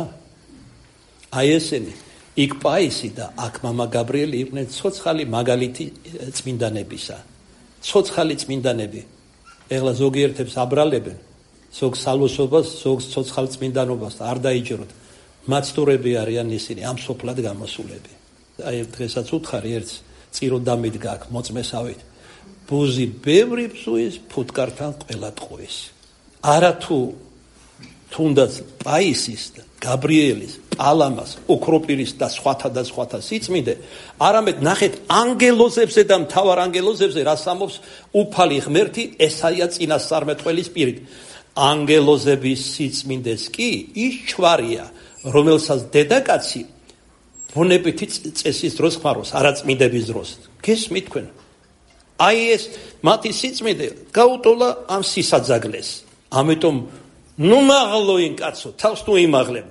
აი ესენი იქ პაისი და აქ მამა გაბრიელი იყვნენ ცოცხალი მაგალითი წმინდანებისა ცოცხალი წმინდანები ეხლა ზოგიერთებს აბრალებენ ზოგ სალოსობას ზოგ ცოცხალ წმინდანობას არ დაიჯეროთ მაცდურები არიან ისინი ამ სოფლად გამოსულები აი დღესაც უთხარი ერთს წირო დამიდგა აქ მოწმესავით ბუზი ბევრი ბზუის ფუტკართან ყველა ტყუის არათუ თუნდაც პაისის და გაბრიელის პალამას ოქროპირის და სხვათა სიწმინდე არამედ ნახეთ ანგელოზებზე და მთავარ ანგელოზებზე რას ამბობს უფალი ღმერთი ესაია წინასწარმეტყველის პირით ანგელოზების სიწმინდეს კი ის ჩვარია რომელსაც დედაკაცი ბუნებითი წესის დროს ხმარობს არაწმინდების დროს გესმით თქვენ აი ეს მათი სიწმინდე გაუტოლა ამ სისაძაგლეს ამიტომ ნუ მაღლოინ კაცო თავს თუ იმაღლებ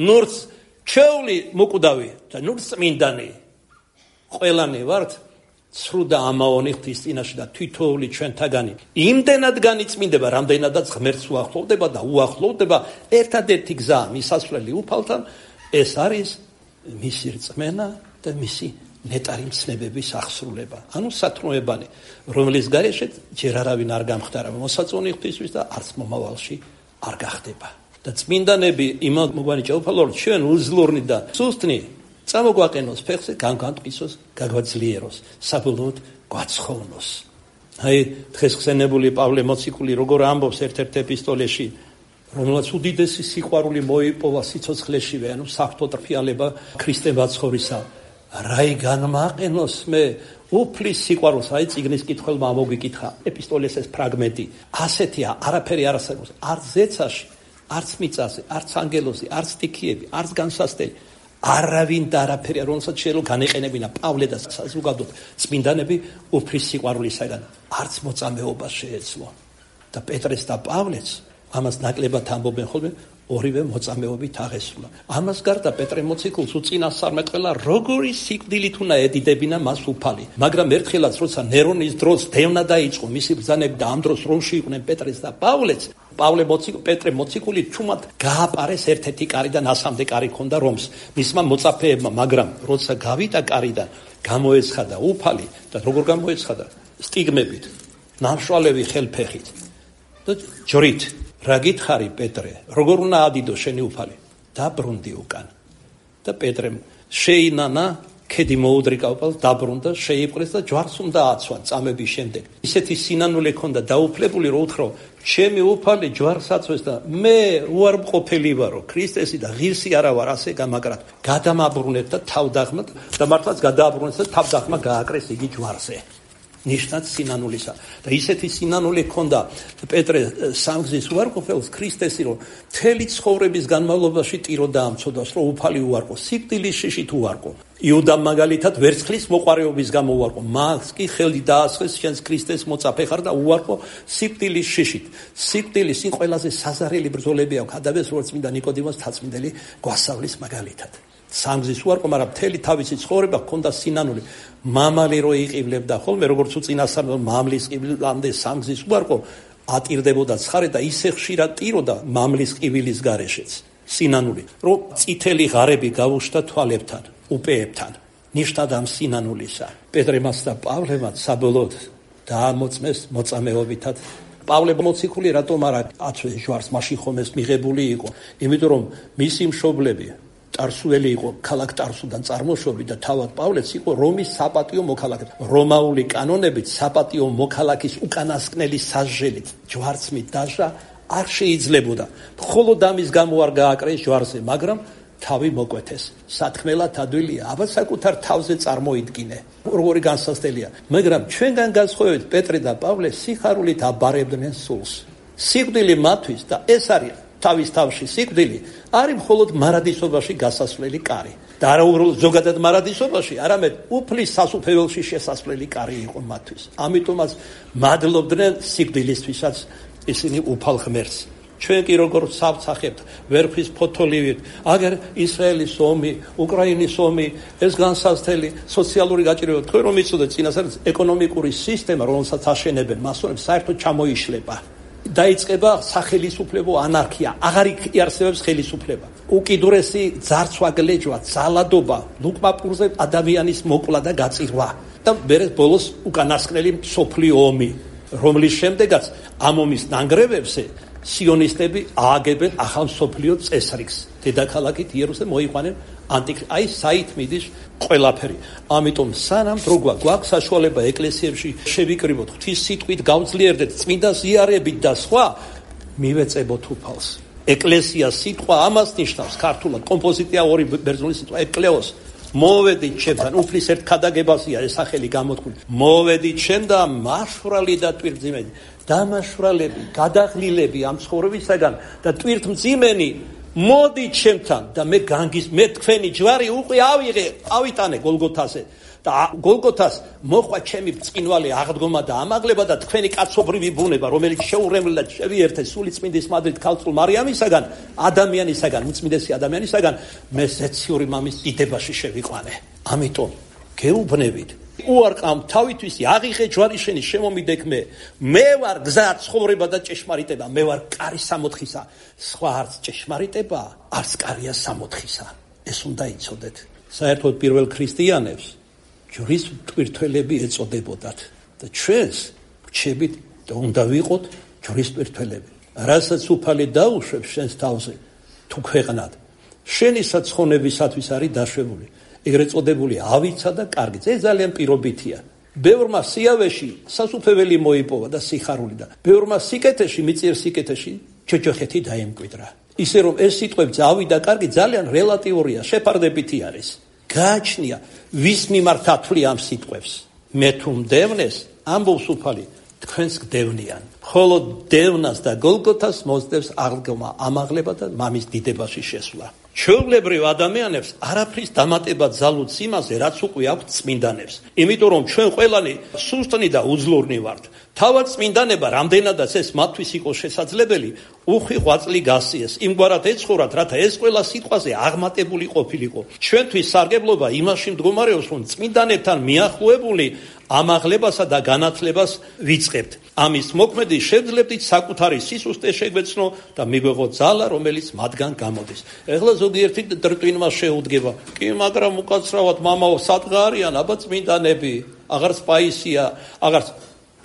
ნურც ჩეული მოკვდავი და ნურც წმინდანი ყველანი ვართ ცრუ და ამაონი ღვთის წინაშე და თვითოული ჩვენთაგანი იმდენად განიწმინდება რამდენადაც ღმერთს უახლოვდება და უახლოვდება ერთადერთი გზა მისასვლელი უფალთან ეს არის მისი რწმენა და მისი ნეტარი მცნებების აღსრულება ანუ სათნოებანი რომლის გარეშე ჯერ არავინ არ გამხდარა მოსაწონი ღვთისთვის და არც მომავალში არ გახდება და წმინდანები იმად მოგვანიჭა უფალო ჩვენ უძლურნი და სუსტნი წამოგვაყენოს ფეხზე განგვანტყისოს გაგვაძლიეროს საბოლოოდ გვაცხოვნოს აი დღეს ხსენებული პავლე მოციქული როგორ ამბობს ერთ-ერთ ეპისტოლეში რომელსაც უდიდესი სიყვარული მოიპოვა სიცოცხლეშივე ანუ საფრთხო ტრფიალება ქრისტე ბაცხოვრისა რაი განმაყენოს მე უფლის სიყვარულს აი წიგნის კითხველმა მოგიკითხა ეპისტოლეს ეს ფრაგმენტი ასეთია არაფერი არ არსებობს არც ზეცაში არც მიწაზე არც ანგელოზი არც სტიქიები არც განსასწრელი არავინ და არაფერი რომელსაც შეიძლება განეყენებინა პავლე და საზოგადოდ წმინდანები უფლის სიყვარულისაგან არც მოწამეობა შეეძლო და პეტრეს და პავლეც ამას ნაკლებად ამბობენ ხოლმე ორივე მოწამეობით აღესრულა. ამას გარდა პეტრე მოციქულს უწინასწარმეტყველა როგორი სიკვდილით უნდა ედიდებინა მას უფალი. მაგრამ ერთხელაც როცა ნერონის დროს დევნა დაიწყო მისი ბრძანები და ამ დროს რომში იყვნენ პეტრეს და პავლეც პავლე პეტრე მოციქული თუმად გააპარეს ერთ-ერთი კარიდან ასამდე კარი ქონდა რომს მისმა მოწაფეებმა, მაგრამ როცა გავიდა კარიდან, გამოეცხადა უფალი და როგორ გამოეცხადა? სტიგმებით, ნამშვალევი ხელფეხით და ჯვრით. რა გითხარი პეტრე, როგორ უნდა ადიდო შენი უფალი? დაბრუნდი უკან. და პეტრემ შეინანა ქედი მოუდრიკა უფალს, დაბრუნდა, შეიპყრეს და ჯვარს უნდა აცვა წამების შემდეგ. ისეთი სინანული ჰქონდა დაუფლებული, რომ უთხრა, ჩემი უფალი ჯვარს აცვეს და მე უარმყოფელი ვარო, ქრისტესი და ღირსი არა ვარ, ასე გამაგრად. გადამაბრუნეთ და თავდაღმად და მართლაც გადააბრუნეს და თავდაღმა გააკრეს იგი ჯვარზე. ნიშნად სინანულისა. და ისეთი სინანული ჰქონდა პეტრე სამგზის უარყოფელს ქრისტესი, რომ მთელი ცხოვრების განმავლობაში ტირო დაამცოდას, რომ უფალი უარყო, სიკვდილის შიშით უარყო. იუდამ მაგალითად ვერცხლის მოყარეობის გამო უარყო, მას კი ხელი დაასხეს, შენს ქრისტეს მოწაფე ხარ და უარყო სიკვდილის შიშით. სიკვდილის იმ ყველაზე საზარელი ბრძოლები აქვს, ადაბეს როგორც წმინდა ნიკოდიმოს თაცმიდელი გვასწავლის მაგალითად. სამგზის უარყო, მაგრამ მთელი თავისი ცხოვრება ჰქონდა სინანული. მამალი რო იყივლებდა ხოლმე, როგორც უწინასწარ მამლის ყივილამდე სამგზის უარყო ატირდებოდა ცხარე და ისე ხშირად ტიროდა მამლის ყივილის გარეშეც. სინანული, რომ წითელი ღარები გავუშთა თვალებთან, უპეებთან. ნიშნად ამ სინანულისა. პეტრემაც და პავლემაც საბოლოოდ დაამოწმეს მოწამეობითად. პავლე მოციქული რატომ არ აცვეს ჯვარს, მაშინ ხომ ეს მიღებული იყო, იმიტომ რომ მისი მშობლები ტარსუელი იყო, ქალაქ ტარსუდან წარმოშობილი და თავად პავლეც იყო რომის საპატიო მოქალაქე. რომაული კანონებით საპატიო მოქალაქის უკანასკნელი სასჯელით ჯვარცმით დაჟა არ შეიძლებოდა. მხოლოდ ამის გამო არ გააკრეს ჯვარზე, მაგრამ თავი მოკვეთეს. სათქმელად ადვილია, აბა საკუთარ თავზე წარმოიდგინე. როგორი განსასწრელია. მაგრამ ჩვენგან განსხვავებით პეტრე და პავლე სიხარულით აბარებდნენ სულს. სიკვდილი მათთვის და ეს არის თავის თავში სიკვდილი არის მხოლოდ მარადისობაში გასასვლელი კარი. და არა უბრალოდ ზოგადად მარადისობაში, არამედ უფლის სასუფეველში შესასვლელი კარი იყო მათთვის. ამიტომაც მადლობდნენ სიკვდილისთვისაც ისინი უფალ ღმერთს. ჩვენ კი როგორ სავცახებთ ვერხის ფოთოლივით, აგერ ისრაელის ომი, უკრაინის ომი, ეს განსაცდელი სოციალური გაჭირვება, თქვენ რომ იცოდეთ წინასწარ ეკონომიკური სისტემა, რომელსაც აშენებენ მასონებს, საერთოდ ჩამოიშლება. დაიწყება სახელისუფლებო ანარქია, აღარ იარსებებს ხელისუფლება. უკიდურესი ძარცვა, გლეჯვა, ძალადობა, ლუკმაპურზე ადამიანის მოკლა და გაწირვა და მერე ბოლოს უკანასკნელი მსოფლიო ომი, რომლის შემდეგაც ამ ომის ნანგრევებზე სიონისტები ააგებენ ახალ მსოფლიო წესრიგს. დედაქალაქით იერუსალიმს მოიყვანენ აი საით მიდის ყველაფერი. ამიტომ სანამ დრო გვაქვს საშუალება ეკლესიებში შევიკრიბოთ, ღვთის სიტყვით გავძლიერდეთ, წმინდა ზიარებით და სხვა, მივეწებოთ უფალს. ეკლესია სიტყვა ამას ნიშნავს ქართულად, კომპოზიტია ორი ბერძნული სიტყვა ეკლეოს. მოვედით ჩემთან, უფლის ერთ ქადაგებასია ეს სახელი გამოთქმული. მოვედით ჩემ და მაშვრალი და ტვირთმძიმენი, დამაშვრალები, გადაღლილები ამ ცხოვრებისაგან და ტვირთმძიმენი მოდით ჩემთან და მე თქვენი ჯვარი უკვე ავიტანე გოლგოთაზე და გოლგოთას მოხვა ჩემი ბრწყინვალე აღდგომა და ამაღლება და თქვენი კაცობრივი ბუნება, რომელიც შეურემლად შევიერთეს სული წმინდის მადლით ქალწულ მარიამისაგან, ადამიანისაგან, უწმინდესი ადამიანისაგან, მე ზეციური მამის დიდებაში შევიყვანე. ამიტომ გეუბნებით, უარყამ თავისთვის აღიღე ჯვარი შენი, შემომიდექ მე ვარ გზა, ცხოვრება და ჭეშმარიტება, მე ვარ კარი სამოთხისა, სხვა არც ჭეშმარიტება, არც კარია სამოთხისა. ეს უნდა იცოდეთ. საერთოდ პირველ ქრისტიანებს ჯვრის მტვირთველები ეწოდებოდათ და ჩვენს რჩებით და უნდა ვიყოთ ჯვრის მტვირთველები. რასაც უფალი დაუშვებს შენს თავზე, თუ ქვეყნად, შენი საცხონებისათვის არის დაშვებული. ეგრეთ წოდებული ავიცა და კარგი. ეს ძალიან პირობითია. ბევრმა სიავეში სასუფეველი მოიპოვა და სიხარული და ბევრმა სიკეთეში, მიწიერ სიკეთეში ჯოჯოხეთი დაემკვიდრა. ისე რომ ეს სიტყვები ავი და კარგი ძალიან რელატიურია, შეფარდებითი არის. გააჩნია ვის მიმართ ათვლი ამ სიტყვებს. მე თუ მდევნეს, ამბობს უფალი, თქვენს გდევნიან. მხოლოდ დევნას და გოლგოთას მოსდევს აღდგომა, ამაღლება და მამის დიდებაში შესვლა. ჩვეულებრივ ადამიანებს არაფრის დამატება ძალუც იმაზე, რაც უკვე აქვთ წმინდანებს. იმიტომ რომ ჩვენ ყველანი სუსტნი და უძლურნი ვართ. თავად წმინდანება რამდენადაც ეს მათთვის იყო შესაძლებელი, უხვი ღვაწლი გასიეს. იმგვარად ეცხოვრათ, რათა ეს ყველა სიტყვაზე აღმატებული ყოფილიყო. ჩვენთვის სარგებლობა იმაში მდგომარეობს, რომ წმინდანებთან მიახლოებული ამაღლებასა და განათლებას ვიწყებთ. ამის მოქმედი შევძლებდით საკუთარი სისუსტე შეგვეცნო და მიგვეღოთ ძალა, რომელიც მათგან გამოდის. ეხლა ზოგიერთი ტრტვინმა შეუდგება. კი, მაგრამ უკაცრავად მამაო, სადღა არიან აბა წმინდანები, აღარც პაისია, აღარც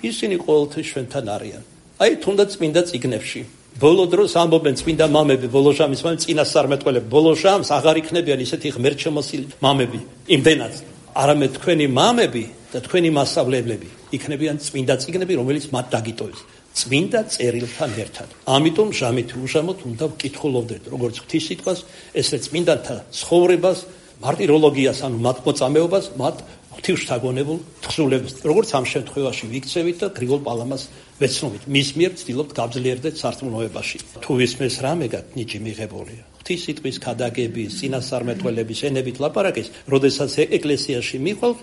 ისინი ყოველთვის ჩვენთან არიან. აი თუნდაც წმინდა წიგნებში. ბოლო დროს ამბობენ წმინდა მამები, ბოლო ჟამის მამები, წინასწარმეტყველები, ბოლო ჟამს აღარ იქნებიან ისეთი ღმერთშემოსილი მამები, იმდენად. არამედ თქვენი მამები და თქვენი მასწავლებლები იქნებიან წმინდა წიგნები, რომელიც მათ დაგიტოვებს. წმინდა წერილთან ერთად. ამიტომ ჟამით უშამოთ უნდა ვკითხულობდეთ, როგორც ღვთისმსიტყვას, ესე წმინდანთა ცხოვრებას, მარტიროლოგიას, ანუ მათ მოწამეობას, მათ ღვთისშთაგონებულ თხზულებას, როგორც ამ შემთხვევაში ვიქცევით და გრიგოლ პალამას ვეცნობით. მის მიერ ვცდილობთ გავძლიერდეთ სარწმუნოებაში. თუ ისმეს რამეგად ნიჭი მიღებულია. ღვთისმსიტყვის ქადაგების, წინასწარმეტყველების ენებით ლაპარაკის, როდესაც ეკლესიაში მიყავთ,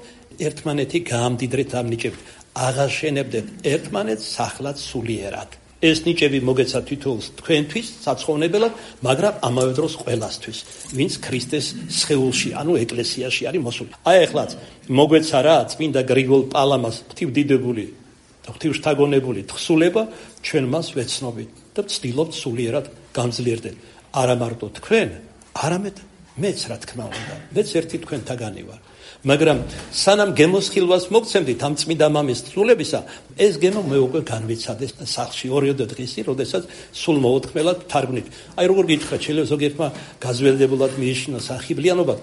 ერთმანეთი გაამდიდრეთ ამ ნიჭებით. აღაშენებდეთ ერთმანეთს სახლად სულიერად. ეს ნიჭები მოგეცა თითოეულს თქვენთვის საცხოვნებელად, მაგრამ ამავე დროს ყველასთვის, ვინც ქრისტეს სხეულში, ანუ ეკლესიაში არის მოსული. აი ახლაც მოგეცა რა წმინდა გრიგოლ პალამას ღვთივდიდებული და ღვთისშთაგონებული თხზულება, ჩვენ მას ვეცნობით და ვცდილობთ სულიერად გამძლიერდეთ. არა მარტო თქვენ, არამედ მეც რა თქმა უნდა, მეც ერთი თქვენთაგანი ვარ. მაგრამ სანამ გემოსხილვას მოგცემდით ამ წმინდა მამის თხზულებისა, ეს გემო მე უკვე განვიცადეს სახლში 2 დღისი, როდესაც სულ მოოთხმელად თარგმნით. აი როგორ გითხრათ, შეიძლება ზოგიერთმა გაზველდებულად მიეშინოს ახიბლიანობა.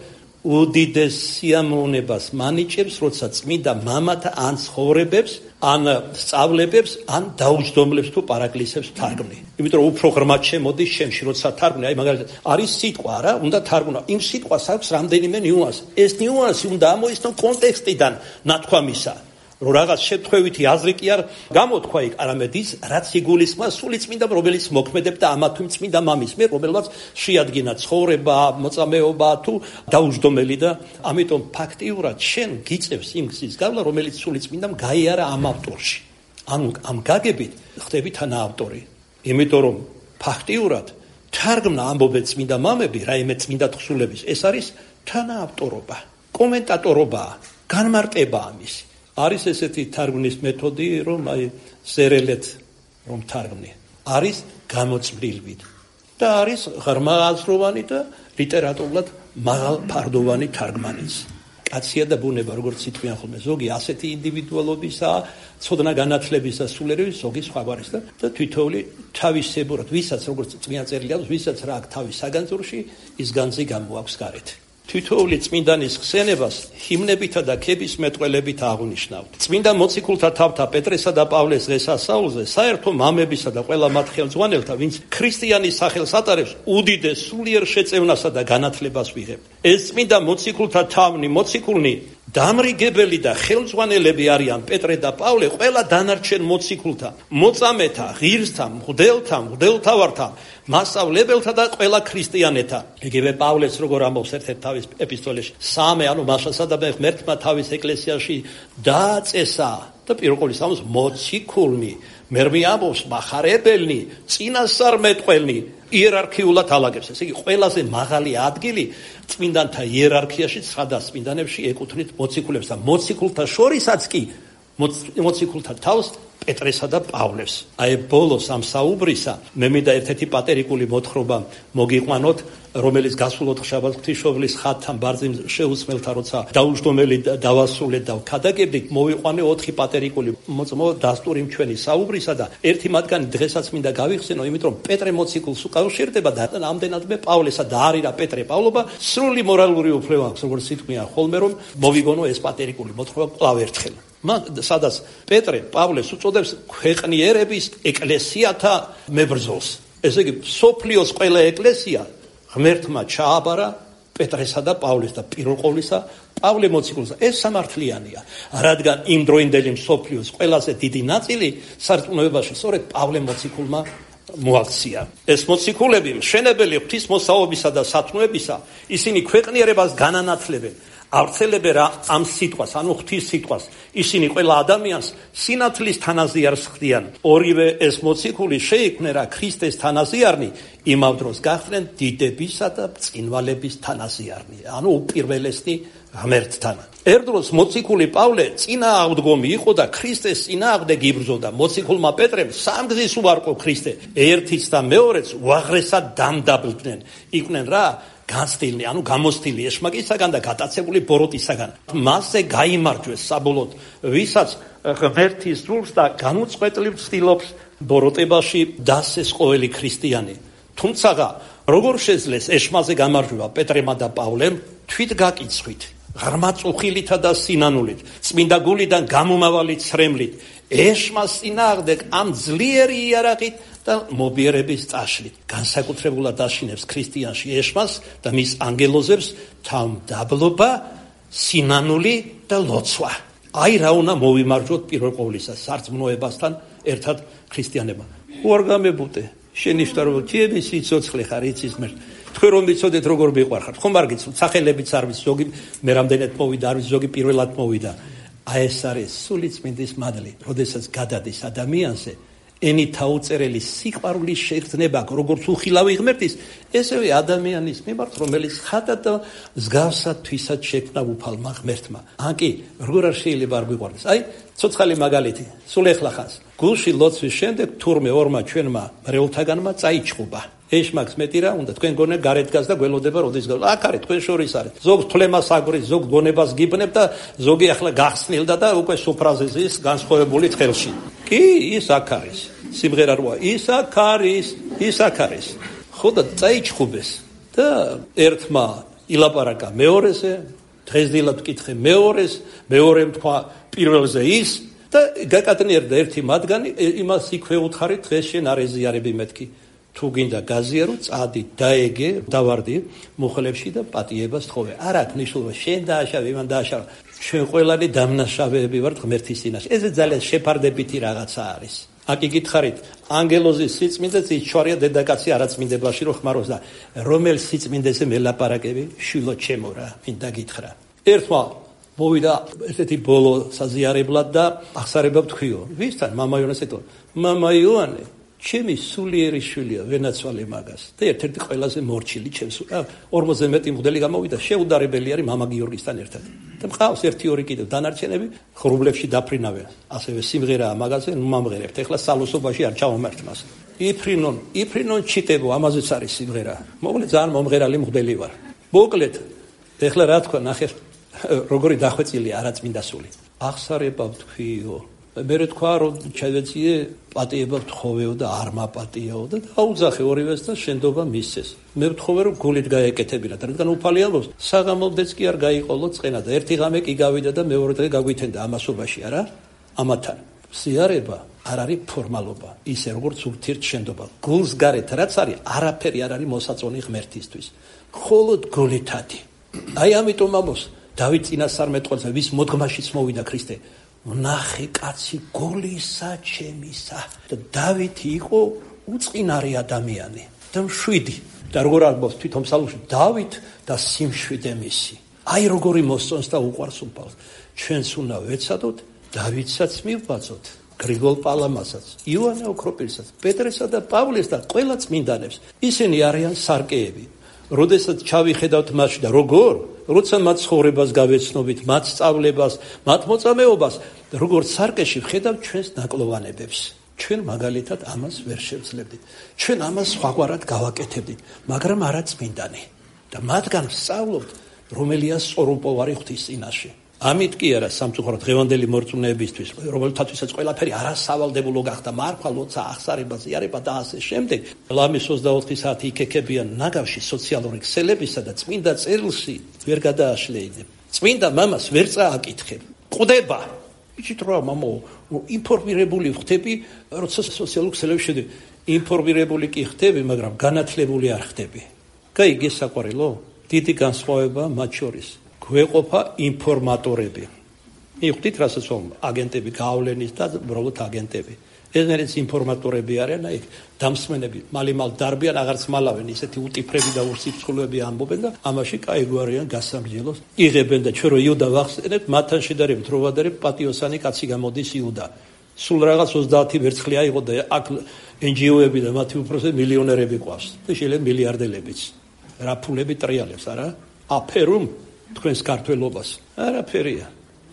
უდიდეს სიამოვნებას მანიჭებს, როცა წმინდა მამათა ან ცხოვრებებს, ან სწავლებებს, ან დაუჯდომლებს თუ პარაკლისებს თარგმნი. იმიტომ რომ უფრო ღრმად შემოდის შემში, როცა თარგმნი. აი მაგალითად, არის სიტყვა რა, უნდა თარგმნო. იმ სიტყვას აქვს რამდენიმე ნიუანსი. ეს ნიუანსი უნდა ამოიცნო კონტექსტიდან ნათქვამისა. რომ რაღაც შემთხვევითი აზრი კი არ გამოთქვა იქ, არამედ ის, რაც იგულისხმება სული წმინდა, რომელიც მოქმედებდა ამა თუ იმ წმინდა მამის მიერ, რომელსაც შეადგინა ცხოვრება, მოწამეობა თუ დაუჯდომელი და ამიტომ ფაქტიურად შენ გიწევს იმ გზის გავლა, რომელიც სული წმინდამ გაიარა ამ ავტორში. ანუ ამ გაგებით ხდები თანაავტორი. იმიტომ რომ ფაქტიურად თარგმნა ამბობენ წმინდა მამები, რაიმე წმინდა თხზულების, ეს არის თანაავტორობა, კომენტატორობა, განმარტება ამისი. არის ესეთი თარგმნის მეთოდი, რომ აი ზერელეთ რომ თარგმნი. არის გამოწმრილვით და არის ღრმა აზროვანი და ლიტერატურულად მაღალფარდოვანი თარგმანიც. კაცია და ბუნება, როგორც ითქვიან ხოლმე, ზოგი ასეთი ინდივიდუალობისაა, ცოდნა განათლებისა სულიერების, ზოგი სხვაგვარის და თითოეული თავისებურად, ვისაც როგორც წმინდა წერილი აქვს, ვისაც რა აქვს თავის საგანძურში, ის განძი გამოაქვს გარეთ. თითოეული წმინდანის ხსენებას ჰიმნებითა და ქების მეტყველებით აღნიშნავთ. წმინდა მოციქულთა თავთა პეტრესა და პავლეს დღესასწაულზე საერთო მამებისა და ყველა მათ ხელმძღვანელთა, ვინც ქრისტიანის სახელს ატარებს, უდიდეს სულიერ შეწევნასა და განათლებას ვიღებთ. ეს წმინდა მოციქულთა თავნი, მოციქულნი, დამრიგებელი და ხელმძღვანელები არიან პეტრე და პავლე ყველა დანარჩენ მოციქულთა, მოწამეთა, ღირსთა, მღვდელთა, მღვდელთავართა, მასწავლებელთა და ყველა ქრისტიანეთა. იგივე პავლეს როგორ ამბობს ერთ-ერთ თავის ეპისტოლეში, სამე, ანუ მასასა და ღმერთმა თავის ეკლესიაში დააწესა და პირველ ამბობს მოციქულნი, მერმე ამბობს მახარებელნი, წინასწარმეტყველნი, იერარქიულად ალაგებს. ესე იგი ყველაზე მაღალი ადგილი წმინდანთა იერარქიაში ცხადა წმინდანებში ეკუთვნით მოციქულებს და მოციქულთა შორისაც კი მოციქულთა თავს პეტრესა და პავლეს. აი ბოლოს ამ საუბრისა მე მინდა ერთ-ერთი პატერიკული მოთხრობა მოგიყვანოთ, რომელიც გასულ ოთხშაბათს ღვთისმშობლის ხატთან ბარძიმ შეუსმელთა, როცა დაუჯდომელი დავასრულეთ და ვქადაგებდით, მოვიყვანე 4 პატერიკული მოწმო დასტური ჩვენი საუბრისა და ერთი მათგანი დღესაც მინდა გავიხსენო, იმიტომ რომ პეტრე მოციქულს უკავშირდება და ამდენადმე პავლესა და არირა პეტრე პავლობა სრული მორალური უფლება აქვს, როგორც ითქვია ხოლმე, რომ მოვიგონო ეს პატერიკული მოთხრობა კვლავ ერთხელ. სადაც პეტრე პავლეს უწოდებს ქვეყნიერების ეკლესიათა მებრძოლს. ესე იგი სოფლიოს ყველა ეკლესია ღმერთმა ჩააბარა პეტრესა და პავლეს და პირველ ყოვლისა პავლე მოციქულს. ეს სამართლიანია, რადგან იმ დროინდელი სოფლიოს ყველაზე დიდი ნაწილი სარწმუნოებაში სწორედ პავლე მოციქულმა მოაქცია. ეს მოციქულები მშენებელი ღვთისმოსაობისა და სათნოებისა, ისინი ქვეყნიერებას განანათლებენ. ავრცელებენ ამ სიტყვას, ანუ ღვთის სიტყვას. ისინი ყველა ადამიანს სინათლის თანაზიარს ხდიან. ორივე ეს მოციქული შეიქმნენ რა ქრისტეს თანაზიარნი, იმავდროს გახდნენ დიდებისა და წინვალების თანაზიარნი, ანუ უპირველესნი ღმერთთან. ერთდროს მოციქული პავლე წინააღმდგომი იყო და ქრისტეს წინააღმდეგ იბრძოდა. მოციქულმა პეტრემ სამგზის უარყო ქრისტე, ერთიც და მეორეც უაღრესად დამდაბლდნენ. იყვნენ რა განცდილი, ანუ გამოსთილი ეშმაკისაგან და გატაცებული ბოროტისაგან. მასზე გაიმარჯვეს საბოლოოდ, ვისაც ღმერთის სულს და განუწყვეტლივ ცდილობს ბოროტებაში დასეს ყოველი ქრისტიანი. თუმცა როგორ შეძლეს ეშმაზე გამარჯვება პეტრემა და პავლემ? თვით გაკიცხვით, ღრმა წუხილითა და სინანულით, წმინდა გულიდან გამომავალი ცრემლით, ეშმას წინააღმდეგ ამ ძლიერი იარაღით და მობიერების წაშლით. განსაკუთრებულად აშინებს ქრისტიანში ეშმას და მის ანგელოზებს თავმდაბლობა, სინანული და ლოცვა. აი რა უნდა მოვიმარჯვოთ პირველ ყოვლისა სარწმუნოებასთან ერთად ქრისტიანებმა. უარ გამებუტე, შენიშნა რომ თიები სიცოცხლე ხარ იცის მე. თქვენ რომ ვიცოდეთ როგორ მიყვარხართ, ხომ არ გიცნობთ, სახელებიც არ ვის, ზოგი მე რამდენად მოვიდა, არ ვის, ზოგი პირველად მოვიდა. აი ეს არის სული წმინდის მადლი, როდესაც გადადის ადამიანზე ენით აუწერელი სიყვარულის შეგრძნება, როგორც უხილავი ღმერთის, ესევე ადამიანის მიმართ, რომელიც ხატად და მსგავსად თვისად შექმნა უფალმა ღმერთმა. ან კი, როგორ არ შეიძლება არ გვიყვარდეს. აი, ცოცხალი მაგალითი, სულ ეხლა ხანს. გულში ლოცვის შემდეგ თურმე ორმა ჩვენმა მრევლთაგანმა წაიჩხუბა. ეშმაკს მეტი რა უნდა, თქვენ გონე გარეთ დგას და გველოდება როდის გავს. აქ არის თქვენ შორის არის. ზოგ თვლემას აგვრის, ზოგ გონებას გიბნებ და ზოგი ახლა გახსნილდა და უკვე სუფრაზე ზის განსხვავებული თხელში. კი, ის აქ არის. სიმღერა როა, ის აქ არის, ის აქ არის. ხო და წაიჩხუბეს და ერთმა ილაპარაკა მეორეზე, დღესდილად ვკითხე მეორეს, მეორემ თქვა პირველზე ის და გაკატნიერდა ერთი მათგანი, იმას იქვე უთხარი, დღეს შენ არ ეზიარები მეთქი. თუ გინდა გაზიარო, წადი, დაეგე, დავარდი მუხლებში და პატიებას თხოვე. არ აქვს მნიშვნელობა, შენ დააშავე, იმან დააშავე. ჩვენ ყველანი დამნაშავეები ვართ ღმერთის წინაშე. ეს ძალიან შეფარდებითი რაღაცა არის. აკი გითხარით, ანგელოზის სიწმინდეც იჩვარია დედაკაცი არაწმინდებაში რო ხმარობს და რომელ სიწმინდეზე მელაპარაკები? შვილო ჩემო რა, მინდა გითხრა. ერთმა მოვიდა ესეთი ბოლო საზიარებლად და აღსარება ვთქვიო. ვისთან? მამა იონას ეტყვა. მამა იონე, ჩემი სულიერი შვილია, ვენაცვალე მაგას. და ერთ-ერთი ყველაზე მორჩილი ჩემს 40 მეტი მღვდელი გამოვიდა, შეუდარებელი არის მამა გიორგისთან ერთად. და მყავს 1-2 კიდევ დანარჩენები, ხრუბლებში დაფრინავენ. ასევე სიმღერაა მაგაზე, ნუ მომღერებთ. ეხლა სალოსობაში არ ჩავამართ მას. იფრინონ ჩიტებო, ამაზეც არის სიმღერა. მოკლედ ძალიან მომღერალი მღვდელი ვარ. მოკლედ, ეხლა რა თქვა, ნახე, როგორი დახვეწილია არაწმინდა სული. აღსარება ვთქვიო. მე თქვა რომ ჩავეციე პატიება ვთხოვეო და არ მაპატიაო და დაუძახე ორივეს და შენდობა მისცეს. მე ვთხოვე რომ გულით გაეკეთებინათ, რადგან უფალი ამბობს, საღამომდეც კი არ გაიყოლო წყენა და ერთი ღამე კი გავიდა და მეორე დღე გავვითენდა ამასობაში, არა? ამათან სიარება არ არის ფორმალობა, ისე როგორც ურთიერთ შენდობა. გულს გარეთ რაც არის, არაფერი არ არის მოსაწონი ღმერთისთვის. მხოლოდ გულითადი. აი ამიტომ ამბობს დავით წინასწარმეტყველზე, ვის მოდგმაშიც მოვიდა ქრისტე. ნახე კაცი გულისა ჩემისა და დავითი იყო უწყინარი ადამიანი და მშვიდი და როგორ ამბობს თვითონ ფსალმში დავით და სიმშვიდე მისი. აი როგორი მოსწონს და უყვარს უფალს. ჩვენს უნდა ვეცადოთ დავითსაც მივბაძოთ, გრიგოლ პალამასაც, იოანე ოქროპირსაც, პეტრესა და პავლეს და ყველა წმინდანებს. ისინი არიან სარკეები. როდესაც ჩავიხედავთ მათ და როგორ როცა მათ ცხოვრებას გავეცნობით, მათ სწავლებას, მათ მოწამეობას, როგორც სარკეში ვხედავ ჩვენს ნაკლოვანებებს. ჩვენ მაგალითად ამას ვერ შევძლებდით. ჩვენ ამას სხვაგვარად გავაკეთებდით, მაგრამ არა წმინდანი. და მათგან ვსწავლობთ, რომელია სწორუმპოვარი ღვთის წინაშე. ამით კი არა სამწუხაროდ დღევანდელი მორწმუნეებისთვის, რომელთათვისაც ყველაფერი არასავალდებულო გახდა, მარხვა, ლოცა, აღსარება, ზიარება და ასე შემდეგ. ლამის 24 საათი იქექებიან ნაგავში სოციალური ქსელებისა და წმინდა წერილში ვერ გადააშლეინებ. წმინდა მამას ვერ წააკითხებ. ყვდება. იცით რა, მამო, ინფორმირებული ხდები, როცა სოციალურ ქსელებში შედები. ინფორმირებული კი ხდები, მაგრამ განათლებული არ ხდები. გაიგე საყვარელო? დიდი განსხვავება მათ შორის. გვეყოფა ინფორმატორები. მიხვდით რასაც ვამბობ, აგენტები გავლენის და უბრალოდ აგენტები. ეგრეც ინფორმატორები არიან, აი დამსმენები, მალიმალ დარბიან, აღარც მალავენ, ისეთი უტიფრები და ურსიფრთხილები ამბობენ და ამაში კაი გვარიან გასამრჯელოს იღებენ და ჩვენ რო იუდა ვახსენებთ, მათთან შედარებით რო ვადარებ პატიოსანი კაცი გამოდის იუდა. სულ რაღაც 30 ვერცხლი აიღო და აქ NGO-ები და მათი უპროსე მილიონერები ყავს. და შეიძლება მილიარდელებიც. რა ფულები ტრიალებს, არა? აფერუმ თქვენს ქართველობას. არაფერია.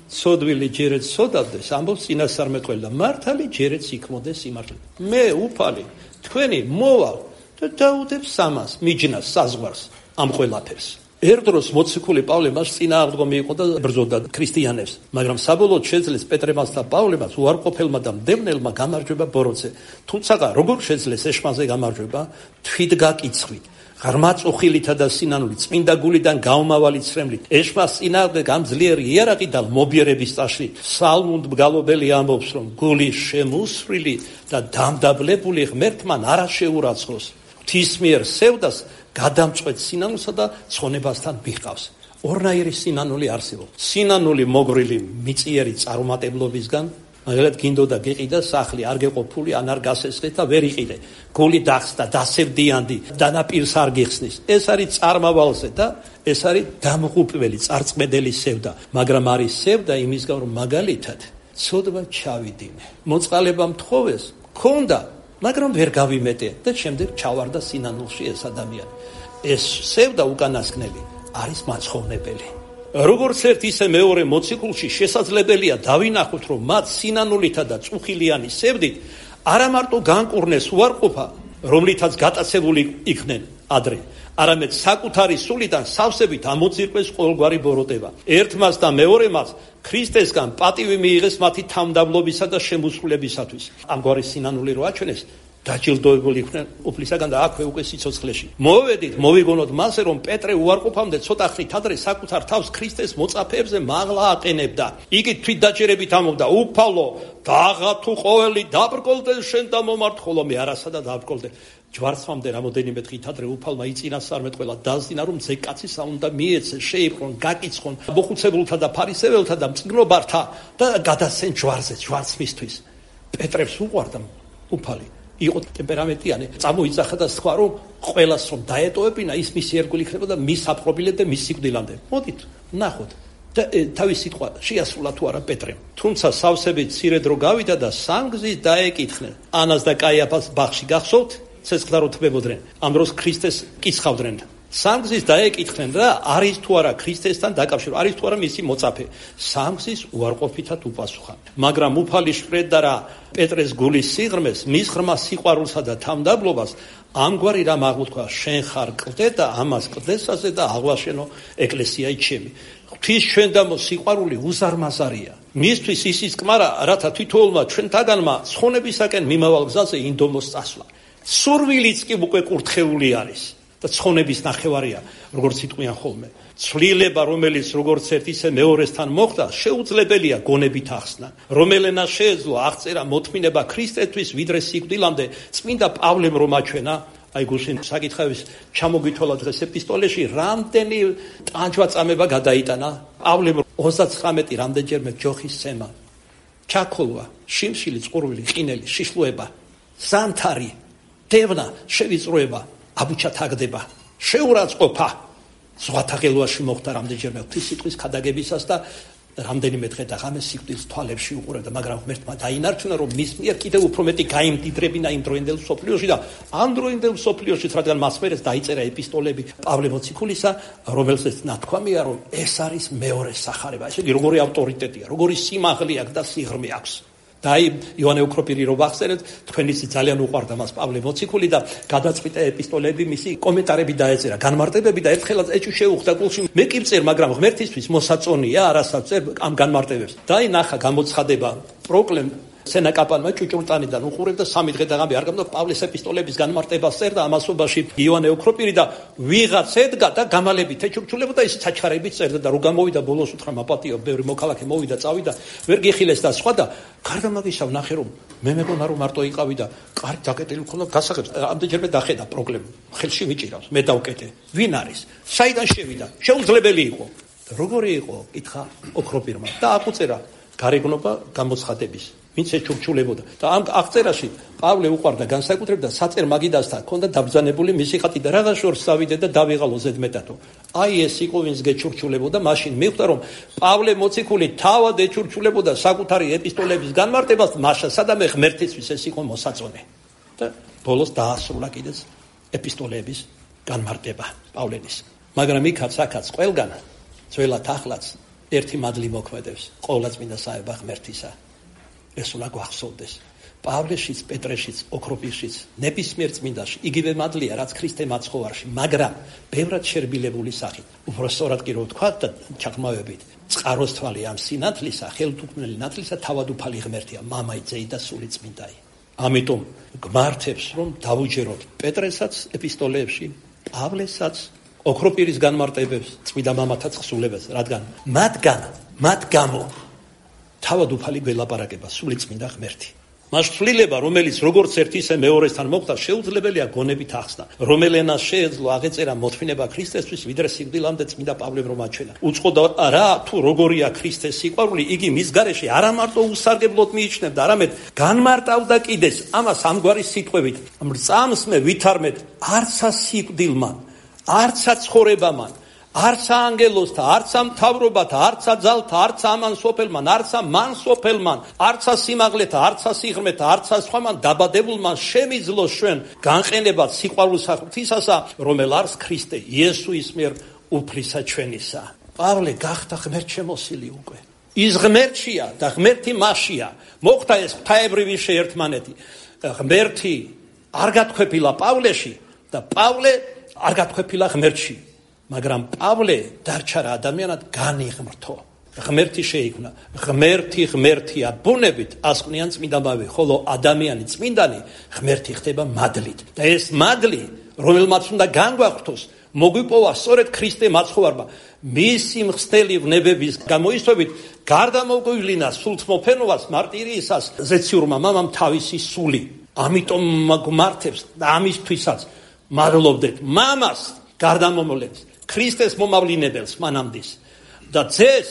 სოდვილი ჯერეთ სოდავდეს, ამბობს წინასწარმეტყველი და მართალი ჯერეთ იქმოდეს სიმართლე. მე უფალი თქვენი მოვალ და დაუდებს სამას, მიჯნას, საზღვარს, ამ ყველაფერს. ერთ დროს მოციქული პავლე მას წინააღმდგომი იყო და ბრძოდა ქრისტიანებს, მაგრამ საბოლოოდ შეძლეს პეტრემას და პავლემას უარყოფელმა და მდევნელმა გამარჯვება ბოროტზე. თუმცა როგორ შეძლეს ეშმაზე გამარჯვება? თვითგაკიცხვით. ღრმა წუხილითა და სინანულით, წმინდა გულიდან გაუმავალი ცრემლით, ეშმას წინააღმდეგ ამ ძლიერი იარაღი და მობიერების წაშლით, სალმუნდ მგალობელი ამბობს, რომ გული შემუსრილი და დამდაბლებული ღმერთმან არა შეურაცხოს. ღვთის მიერ სევდას გადამწყვეტ სინანულსა და ცხონებასთან მიჰყავს. ორნაირი სინანული არსებობს. სინანული მოგრილი მიწიერი წარუმატებლობისგან, მაგალითად გინდოდა გიყიდა სახლი, არ გეყოფული, ან არ გასესხეთ და ვერ იყიდე. გული დახსდა, დასევდიანდი, დანაპირს არ გიხსნის. ეს არის წარმავალზე და ეს არის დამღუპველი, წარწმედელი სევდა, მაგრამ არის სევდა იმის გამო, რომ მაგალითად ცოდვა ჩავიდინე. მოწყალება მთხოვეს, ქონდა, მაგრამ ვერ გავიმეტე და შემდეგ ჩავარდა სინანულში ეს ადამიანი. ეს სევდა უკანასკნელი არის მაცხოვრებელი. როგორც ერთ ისე მეორე მოციქულში შესაძლებელია დავინახოთ, რომ მათ სინანულითა და წუხილიანი სევდით არა მარტო განკურნეს უარყოფა, რომლითაც გატაცებული იქნენ ადრე, არამედ საკუთარი სულიდან სავსებით ამოძირყვეს ყოველგვარი ბოროტება. ერთმას და მეორემაც ქრისტესგან პატივი მიიღეს მათი თავმდაბლობისა და შემოსრულებისათვის. ამგვარი სინანული რო აჩვენეს, დაჯილდოებული იქნენ უფლისაგან და აქვე უკვე სიცოცხლეში. მოვედით, მოვიგონოთ მასე, რომ პეტრე უარყოფამდე ცოტა ხნით ადრე საკუთარ თავს ქრისტეს მოწაფეებზე მაღლა აყენებდა. იგი თვითდაჭერებით ამბობდა, უფალო, დაღა თუ ყოველი დაბრკოლდე შენ და მომართ, ხოლო მე არასადა დაბრკოლდე. ჯვარცმამდე რამოდენიმე დღით ადრე უფალმა იწინასწარმეტყველა დაზინა, რომ ზეკაცისა უნდა მიეცე, შეიბრონ, გაკიცხონ მოხუცებულთა და ფარისეველთა და მწიგნობართა და გადასცენ ჯვარზე, ჯვარცმისთვის. პეტრებს უყვარდა უფალი. იყო ტემპერამენტიანი, წამოიძახა და სხვა რომ ყველას რომ დაეტოვებინა, ის მისი ერგული იქნებოდა მის აპყრობილად და მის სიკვდილამდე. მოდით, ნახოთ. და თავის სიტყვა შეასრულა თუ არა პეტრემ. თუმცა სავსებით მცირე დრო გავიდა და სამგზის დაეკითხნენ. ანას და კაიაფას ბაღში გახსოვთ? ცეცხლდა რო თბებოდნენ. ამ დროს ქრისტეს კიცხავდნენ. სამგზის დაეკითხნენ და არის თუ არა ქრისტესთან დაკავშირებული, არის თუ არა მისი მოწაფე. სამგზის უარყოფითად უპასუხა. მაგრამ უფალი შვრედდა რა პეტრეს გულის სიღრმეს, მის ღრმა სიყვარულსა და თავმდაბლობას, ამგვარი რამ აღმოთქვა, შენ ხარ კლდე და ამას კლდესაზე და აღვაშენო ეკლესიայի ჩემი. ღვთის ჩვენდამო სიყვარული უზარმაზარია. მისთვის ისის კმარა, რათა თითოეულმა ჩვენთაგანმა ცხონებისაკენ მიმავალ გზაზე ინდომოს წასვლა. სურვილიც კი უკვე კურთხეული არის. და ცხონების ნახევარია, როგორც იტყვიან ხოლმე. ცვლილება, რომელიც როგორც ერთ ისე მეორესთან მოხდა, შეუძლებელია გონებით ახსნა. რომელენა შეეძლო აღწერა მოთმინება ქრისტესთვის ვიდრე სიკვდილამდე, წმინდა პავლემ რომ აჩვენა, აი გუშინ საკითხების ჩამოგითვალა დღეს ეპისტოლეში, რამდენი ტანჯვა-წამება გადაიტანა პავლემ 39 რამდენჯერმე ჯოხის სცემა, ჩაქოლვა, შიმშილი, წყურვილი, ყინელი, შიშლუება, ზამთარი, დევნა, შევიწროება, აბუჩა თაგდება, შეურაცხყოფა. ზღვათა ღელვაში მოხდა რამდენჯერმე ღვთის სიტყვის ქადაგებისას და რამდენიმე დღე და ღამე სიკვდილს თვალებში უყურებდა, მაგრამ ღმერთმა დაინარჩუნა, რომ მის მიერ კიდევ უფრო მეტი გაიმდიდრებინა იმ დროინდელ მსოფლიოში და ამ დროინდელ მსოფლიოში, რადგან მას მერეს დაიწერა ეპისტოლები პავლე მოციქულისა, რომელზეც ნათქვამია, რომ ეს არის მეორე სახარება. ესე იგი, როგორი ავტორიტეტია, როგორი სიმაღლე აქვს და სიღრმე აქვს. და აი იოანე ოქროპირი რო ვახსენეთ, თქვენიც ძალიან უყვარდა მას პავლე მოციქული და გადაწყვიტა ეპისტოლეები მისი კომენტარები დაეწერა, განმარტებები და ერთხელაც ეჭვი შეუხდა გულში. მე კი ვწერ, მაგრამ ღმერთისთვის მოსაწონია არასაც წერ ამ განმარტებებს. და აი ნახა გამოცხადება პროკლემ სენაკაპანმა ჭუჭურტანიდან უყურებდა 3 დღე და ღამე არ გამდა პავლეს ეპისტოლების განმარტებას წერდა ამასობაში იოანე ოქროპირი და ვიღაც ედგა და გამალებით ეჩურჩულებოდა ის საჩხარებით წერდა და რო გამოვიდა ბოლოს უთხრა მაპატიო ბევრი მოქალაქე მოვიდა წავიდა ვერ გიხილეს და სხვა და გარდა მაგისა ვნახე რომ მე მეგონა რომ მარტო იყავი და კარგი დაკეტილი მქონდა გასაღებს ამდენჯერმე დახედა პროკლემ ხელში ვიჭირავს მე დავკეტე ვინ არის საიდან შევიდა შეუძლებელი იყო და როგორი იყო კითხა ოქროპირმა და აკუწერა გარეგნობა გამოცხადების ვინც ეჩურჩულებოდა. და ამ აღწერაში პავლე უყვარდა განსაკუთრებით და საწერ მაგიდასთან ჰქონდა დაბრძანებული მისი ხატი და რაღაც შორს წავიდე და დავიღალო ზედმეტადო. აი ეს იყო ვინც გეჩურჩულებოდა, მაშინ მიხვდა რომ პავლე მოციქული თავად ეჩურჩულებოდა საკუთარი ეპისტოლეების განმარტებას, მაშასა და მე ღმერთისთვის ეს იყო მოსაწონე. და ბოლოს დაასრულა კიდეც ეპისტოლეების განმარტება პავლენის. მაგრამ იქაც აქაც ყველგან ძველად ახლაც ერთი მადლი მოქმედებს ყოვლადწმინდა საება ღმერთისა. ეს უნდა გვახსოვდეს. პავლეშიც, პეტრეშიც, ოქროპირშიც, ნებისმიერ წმინდაში იგივე მადლია, რაც ქრისტე მაცხოვარში, მაგრამ ბევრად შერბილებული სახით. უბრალოდ კი რო ვთქვა და ჩაღრმავებით, წყაროს თვალი ამ სინათლისა, ხელთუქმნელი ნათლისა თავადუფალი ღმერთია, მამაი, ძეი და სული წმინდაი. ამიტომ გმართებს რომ დავუჯეროთ პეტრესაც ეპისტოლეებში, პავლესაც, ოქროპირის განმარტებებს, წმინდა მამათა თხზულებას, რადგან მათ გამო თავადუფალი გველაპარაკება სული წმინდა ღმერთი. მას ცვლილება, რომელიც როგორც ერთ ისე მეორესთან მოხდა, შეუძლებელია გონებით ახსნა. რომელ ენას შეეძლო აღეწერა მოთმინება ქრისტესთვის, ვიდრე სიკვდილამდე წმინდა პავლემ რომ აჩვენა. უწყოდა რა თუ როგორია ქრისტეს სიყვარული, იგი მის გარეშე არა მარტო უსარგებლოდ მიიჩნევდა, არამედ განმარტავდა კიდეც ამას ამგვარი სიტყვებით: მრწამს მე ვითარმეთ არცა სიკვდილმან, არცა ცხოვრებამან, არცა ანგელოსთა, არცა მთავრობათა, არცა ძალთა, არცა ამან სოფელმან, არცა მან სოფელმან, არცა სიმაღლეთა, არცა სიღრმეთა, არცა სხვამან დაბადებულმან შემიძლო ჩვენ განყენებად სიყვარულსა ღვთისასა, რომელ არის ქრისტე იესუის მიერ უფლისა ჩვენისა. პავლე გახდა ღმერთშემოსილი უკვე. ის ღმერთშია და ღმერთი მასშია. მოხდა ეს ღვთაებრივი შეერთმანეთი. ღმერთი არ გათქვეფილა პავლეში და პავლე არ გათქვეფილა ღმერთში. მაგრამ პავლე დარჩა რა ადამიანად განიღმრთო. ღმერთი შეიქმნა. ღმერთია ბუნებით ასყვნიან წმინდამავე, ხოლო ადამიანი წმინდანი ღმერთი ხდება მადლით. და ეს მადლი, რომელმაც უნდა განგვაღვთოს, მოგვიპოვა სწორედ ქრისტე მაცხოვარმა. მისი მხსნელი ვნებების გამოისვებით გარდამოგვივლინა სულთმოფენობას მარტირიისას ზეციურმა მამამ თავისი სული. ამიტომ გვმართებს და ამისთვისაც მადლობდეთ მამას გარდამომლებს, ქრისტეს მომავლინებელს მანამდის და ძეს,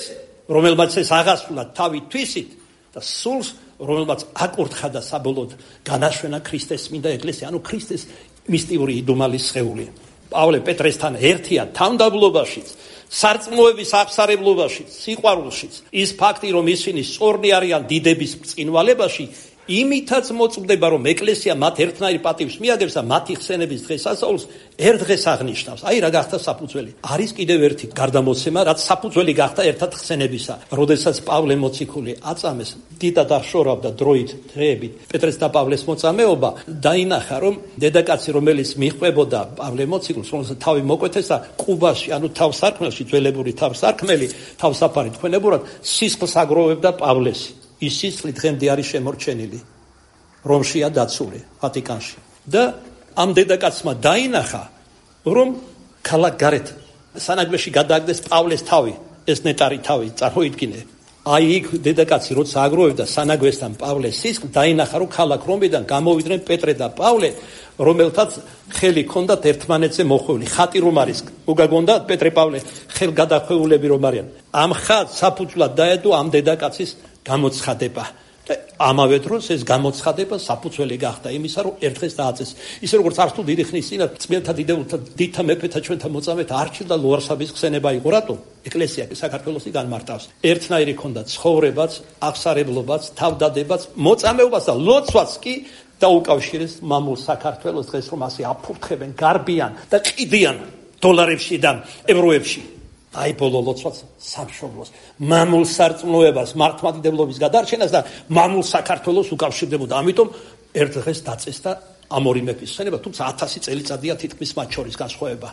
რომელმაც ეს აღასრულა თავი თვისით და სულს, რომელმაც აკურთხა და საბოლოოდ განაშვენა ქრისტეს წმინდა ეკლესია, ანუ ქრისტეს მისტიური იდუმალის სხეული. პავლე პეტრესთან ერთია თავდაბლობაშიც, სარწმუნოების აღსარებლობაშიც, სიყვარულშიც. ის ფაქტი, რომ ისინი სწორნი არიან დიდების ბრწყინვალებაში, იმითაც მოწმდება, რომ ეკლესია მათ ერთნაირი პატივს მიაგებს და მათი ხსენების დღესასწაულს ერთ დღეს აღნიშნავს. აი რა გახდა საფუძველი. არის კიდევ ერთი გარდამოცემა, რაც საფუძველი გახდა ერთად ხსენებისა. როდესაც პავლე მოციქული აწამეს, დიდად აღშორავდა დროით, დღეებით პეტრეს და პავლეს მოწამეობა, დაინახა, რომ დედაკაცი, რომელიც მიჰყვებოდა პავლე მოციქულს, რომელსაც თავი მოკვეთეს და ყუბაში, ანუ თავსარქმელში, ძველებური თავსარქმელი, თავსაფარი თქვენებურად სისხლს აგროვებდა პავლესი. ის სისხლი დღემდე არის შემორჩენილი რომშია დაცული ვატიკანში და ამ დედაკაცმა დაინახა რომ ქალაქ გარეთ სანაგვეში გადააგდეს პავლეს თავი, ეს ნეტარი თავი წარმოიდგინე. აი იქ დედაკაცი როცა აგროვებდა სანაგვესთან პავლეს სისხლს, დაინახა რომ ქალაქ რომიდან გამოვიდნენ პეტრე და პავლე, რომელთაც ხელი ჰქონდათ ერთმანეთზე მოხვეული. ხატი რომ არის, უგაგონდათ პეტრე პავლე ხელგადახვეულები რომ არიან. ამ ხატს საფუძვლად დაედო ამ დედაკაცის გამოცხადება და ამავე დროს ეს გამოცხადება საფუძველი გახდა იმისა, რომ ერთ დღეს დააწეს. ისე როგორც არც თუ დიდი ხნის წინათ წმინდა დიდებულთა დიდთა მეფეთა ჩვენთა მოწამეთა არჩილ და ლუარსაბის ხსენება იყო. რატო? ეკლესია კი საქართველოსი განმარტავს. ერთნაირი ქონდა ცხოვრებაც, აღსარებლობაც, თავდადებაც, მოწამეობას და ლოცვაც კი დაუკავშირეს მამულ საქართველოს დღეს რომ ასე აფურთხებენ, გარბიან და ყიდიან დოლარებში და ევროებში. აი ბოლო ლოცვაც სამშობლოს, მამულ სარწმუნოებას, მართლმადიდებლობის გადარჩენას და მამულ საქართველოს უკავშირდებოდა. ამიტომ ერთ დღეს დაწესდა ამ ორი მეფის ხსენება, თუმცა 1000 წელიწადია თითქმის მათ შორის განსხვავება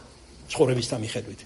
ცხოვრებისთან მიხედვით.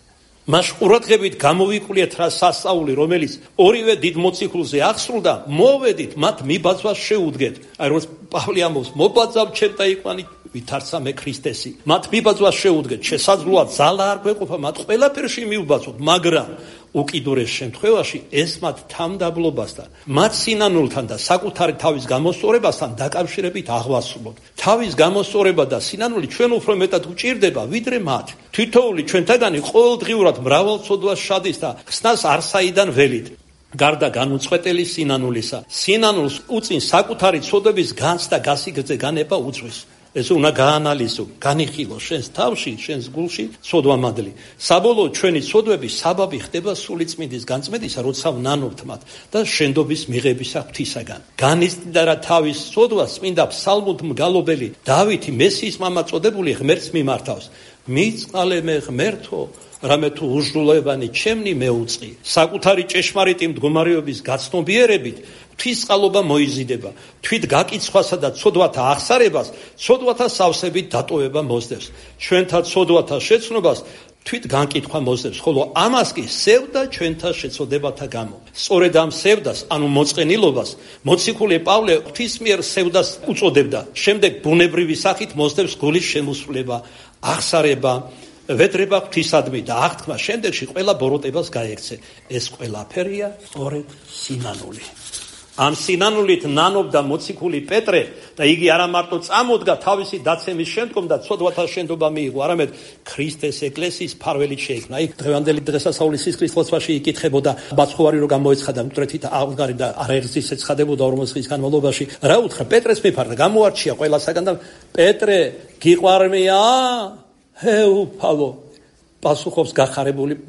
მას ყურადღებით გამოვიკვლიეთ რა სასწაული, რომელიც ორივე დიდ მოციქულზე აღსრულდა, მოვედით მათ მიბაძვას შეუდგეთ. აი როგორც პავლე ამბობს, მობაძავ ჩემ და იყვანი ვითარცა მე ქრისტესი. მათ მიბაძვას შეუდგეთ, შესაძლოა ძალა არ გვეყოფა მათ ყველაფერში მიუბაძოთ, მაგრამ უკიდურეს შემთხვევაში ეს მათ თავდაბლობასთან, მათ სინანულთან და საკუთარი თავის გამოსწორებასთან დაკავშირებით აღვასრულოთ. თავის გამოსწორება და სინანული ჩვენ უფრო მეტად გვჭირდება, ვიდრე მათ. თითოეული ჩვენთაგანი ყოველდღიურად მრავალწოდვას შადის და ხსნას არსაიდან ველით. გარდა განუწყვეტელი სინანულისა. სინანულს უწინ საკუთარი ცოდვების განცდა გასიგრძე განება უძღვის. ეს უნდა გაანალიზო, განიხილო შენს თავში, შენს გულში ცოდვამადლი. საბოლოოდ ჩვენი ცოდვები საბაბი ხდება სულიწმინდის განწმენდისა, როცა ვნანობთ მათ და შენდობის მიღებისა ღვთისაგან. განიცდიდა რა თავის ცოდვას წმინდა ფსალმუთ მგალობელი დავითი მესიის მამა წოდებული ღმერთს მიმართავს. მიწყალე მე ღმერთო, რამე თუ უჟდულოვანი ჩემნი მეუწყი. საკუთარი ჭეშმარიტი მდგომარეობის გაცნობიერებით ღვთისწყალობა მოიზიდება. თვით გაკიცხვასა და ცოდვათა აღსარებას ცოდვათა სავსებით დატოვება მოსდევს. ჩვენთა ცოდვათა შეცნობას თვით განკითხვა მოსდევს, ხოლო ამას კი სევდა ჩვენთა შეცოდებათა გამო. სწორედ ამ სევდას, ანუ მოწყენილობას, მოციქული პავლე ღვთის მიერ სევდას უწოდებდა. შემდეგ ბუნებრივი სახით მოსდევს გულის შემოსვლება, აღსარება, ვედრება ღვთისადმი და აღთქმა შემდეგში ყველა ბოროტებას გაექცე. ეს ყველაფერია სწორედ სინანული. ამ სინანულით ნანობდა მოციქული პეტრე და იგი არა მარტო წამოდგა თავისი დაცემის შემდგომ და ცოდვათა შენდობა მიიღო, არამედ ქრისტეს ეკლესიის ფარველით შეიქმნა. იქ დღევანდელი დღესასწაულის სისხლის ლოცვაში იკითხებოდა ბაცხოვარი რო გამოეცხადა მკვდრეთით აღგარი და არაერთის ეცხადებოდა 40 წლის განმავლობაში. რა უთხრა პეტრეს მიფარდა, გამოარჩია ყველასაგან და პეტრე გიყვარმია? ჰეუფალო, პასუხობს გახარებული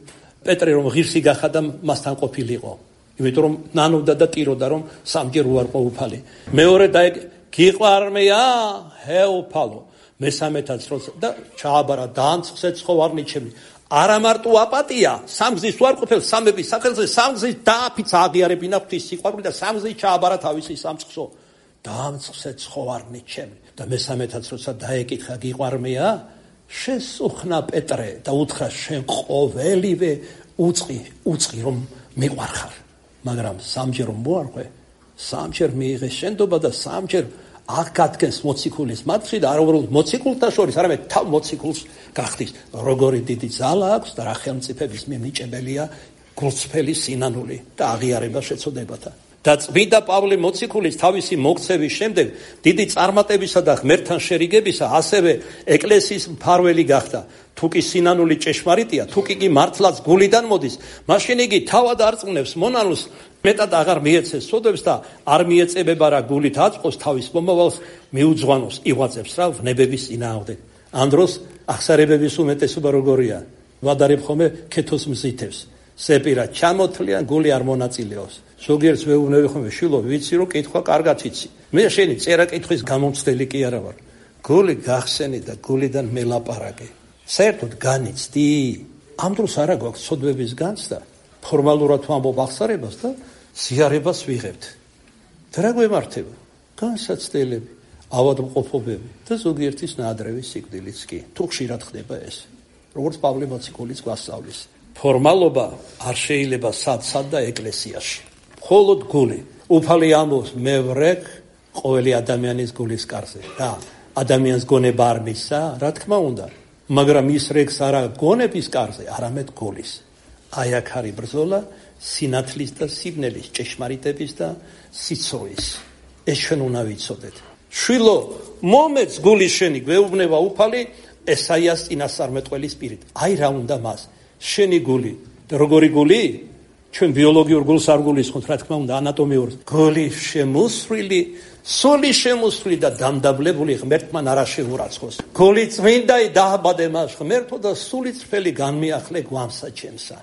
პეტრე, რომ ღირსი გახადა მასთან ყოფილიყო. იმიტომ რომ ნანობდა და ტიროდა, რომ სამჯერ უარყო უფალი. მეორე და გიყვარმია? ჰეუფალო. მესამეთაც როცა და ჩააბარა დაამწყსე ცხოვარნი ჩემი. არა მარტო აპატია, სამგზის უარყოფილ სამების სახელზე სამგზის დააფიცა აღიარებინა ღვთის სიყვარული და სამგზის ჩააბარა თავისი სამწყსო. დაამწყსე ცხოვარნი ჩემი. და მესამეთაც როცა დაეკითხა გიყვარმია? შესუხნა პეტრე და უთხრა შენ ყოველივე უწყი რომ მიყვარხარ. მაგრამ სამჯერ რომ მოარღვე, სამჯერ მიიღე შენდობა და სამჯერ აღგადგენს მოციქულის მათში და არა უბრალოდ მოციქულთა შორის, არამედ თავ მოციქულს გახდის. როგორი დიდი ძალა აქვს და რა ხელმწიფების მიმიჭებელია გულწრფელი სინანული და აღიარება შეცოდებათა. და წმინდა პავლე მოციქულის თავისი მოქცევის შემდეგ დიდი წარმატებისა და ღმერთთან შერიგებისა ასევე ეკლესიის მფარველი გახდა. თუ კი სინანული ჭეშმარიტია, თუ კი მართლაც გულიდან მოდის, მაშინ იგი თავად არწმუნებს მონანუს, მეტად აღარ მიეცეს ცოდვებს და არ მიეწებება რა გულით აწყოს თავის მომავალს მიუძღვანოს, იღვაწებს რა ვნებების წინააღმდეგ. ამ დროს აღსარებების უმეტესობა როგორია? ვადარებ ხომე ქეთოს მზითებს. სეპირა ჩამოთლიან, გული არ მონაწილეობს. ზოგიერთს ვეუბნები ხომ შილო, ვიცი რომ კითხვა კარგად იცი. მე შენი წერა კითხვის გამომცდელი კი არა ვარ. გული გახსენი და გულიდან მელაპარაკე. საერთოდ განიცდი? ამ დროს არა გვაქვს ცოდვების განცდა, ფორმალურად ვამბობ აღსარებას და ზიარებას ვიღებთ. და რა გვემართება? განსაცდელები, ავადმყოფობები და ზოგიერთის ნაადრევი სიკვდილიც კი. თუ ხშირად ხდება ეს, როგორც პავლე მოციქულის გვასწავლის. ფორმალობა არ შეიძლება სად და ეკლესიაში. მხოლოდ გული. უფალი ამბობს მე ვრეკ ყოველი ადამიანის გულის კარზე და ადამიანს გონება არ მისცა, რა თქმა უნდა, მაგრამ ის რეკს არა გონების კარზე, არამედ გულის. აი აქ არის ბრძოლა სინათლის და სიბნელის, ჭეშმარიტების და სიცოცხლის. ეს ჩვენ უნდა ვიცოდეთ. შვილო, მომეც გულის შენი, გვეუბნება უფალი ესაიას წინასწარმეტყველის პირით. აი რა უნდა მას? შენი გული. და როგორი გული? ჩვენ ბიოლოგიურ გულს არ გულისხმობთ, რა თქმა უნდა, ანატომიურ. გული შემოსვლილი, სული შემოსვლილი და დამდაბლებული ღმერთთან არა შეურაცხოს. გული წმინდა დააბადე მას ღმერთო და სული წრფელი განმიახლე გვამსა ჩემსა.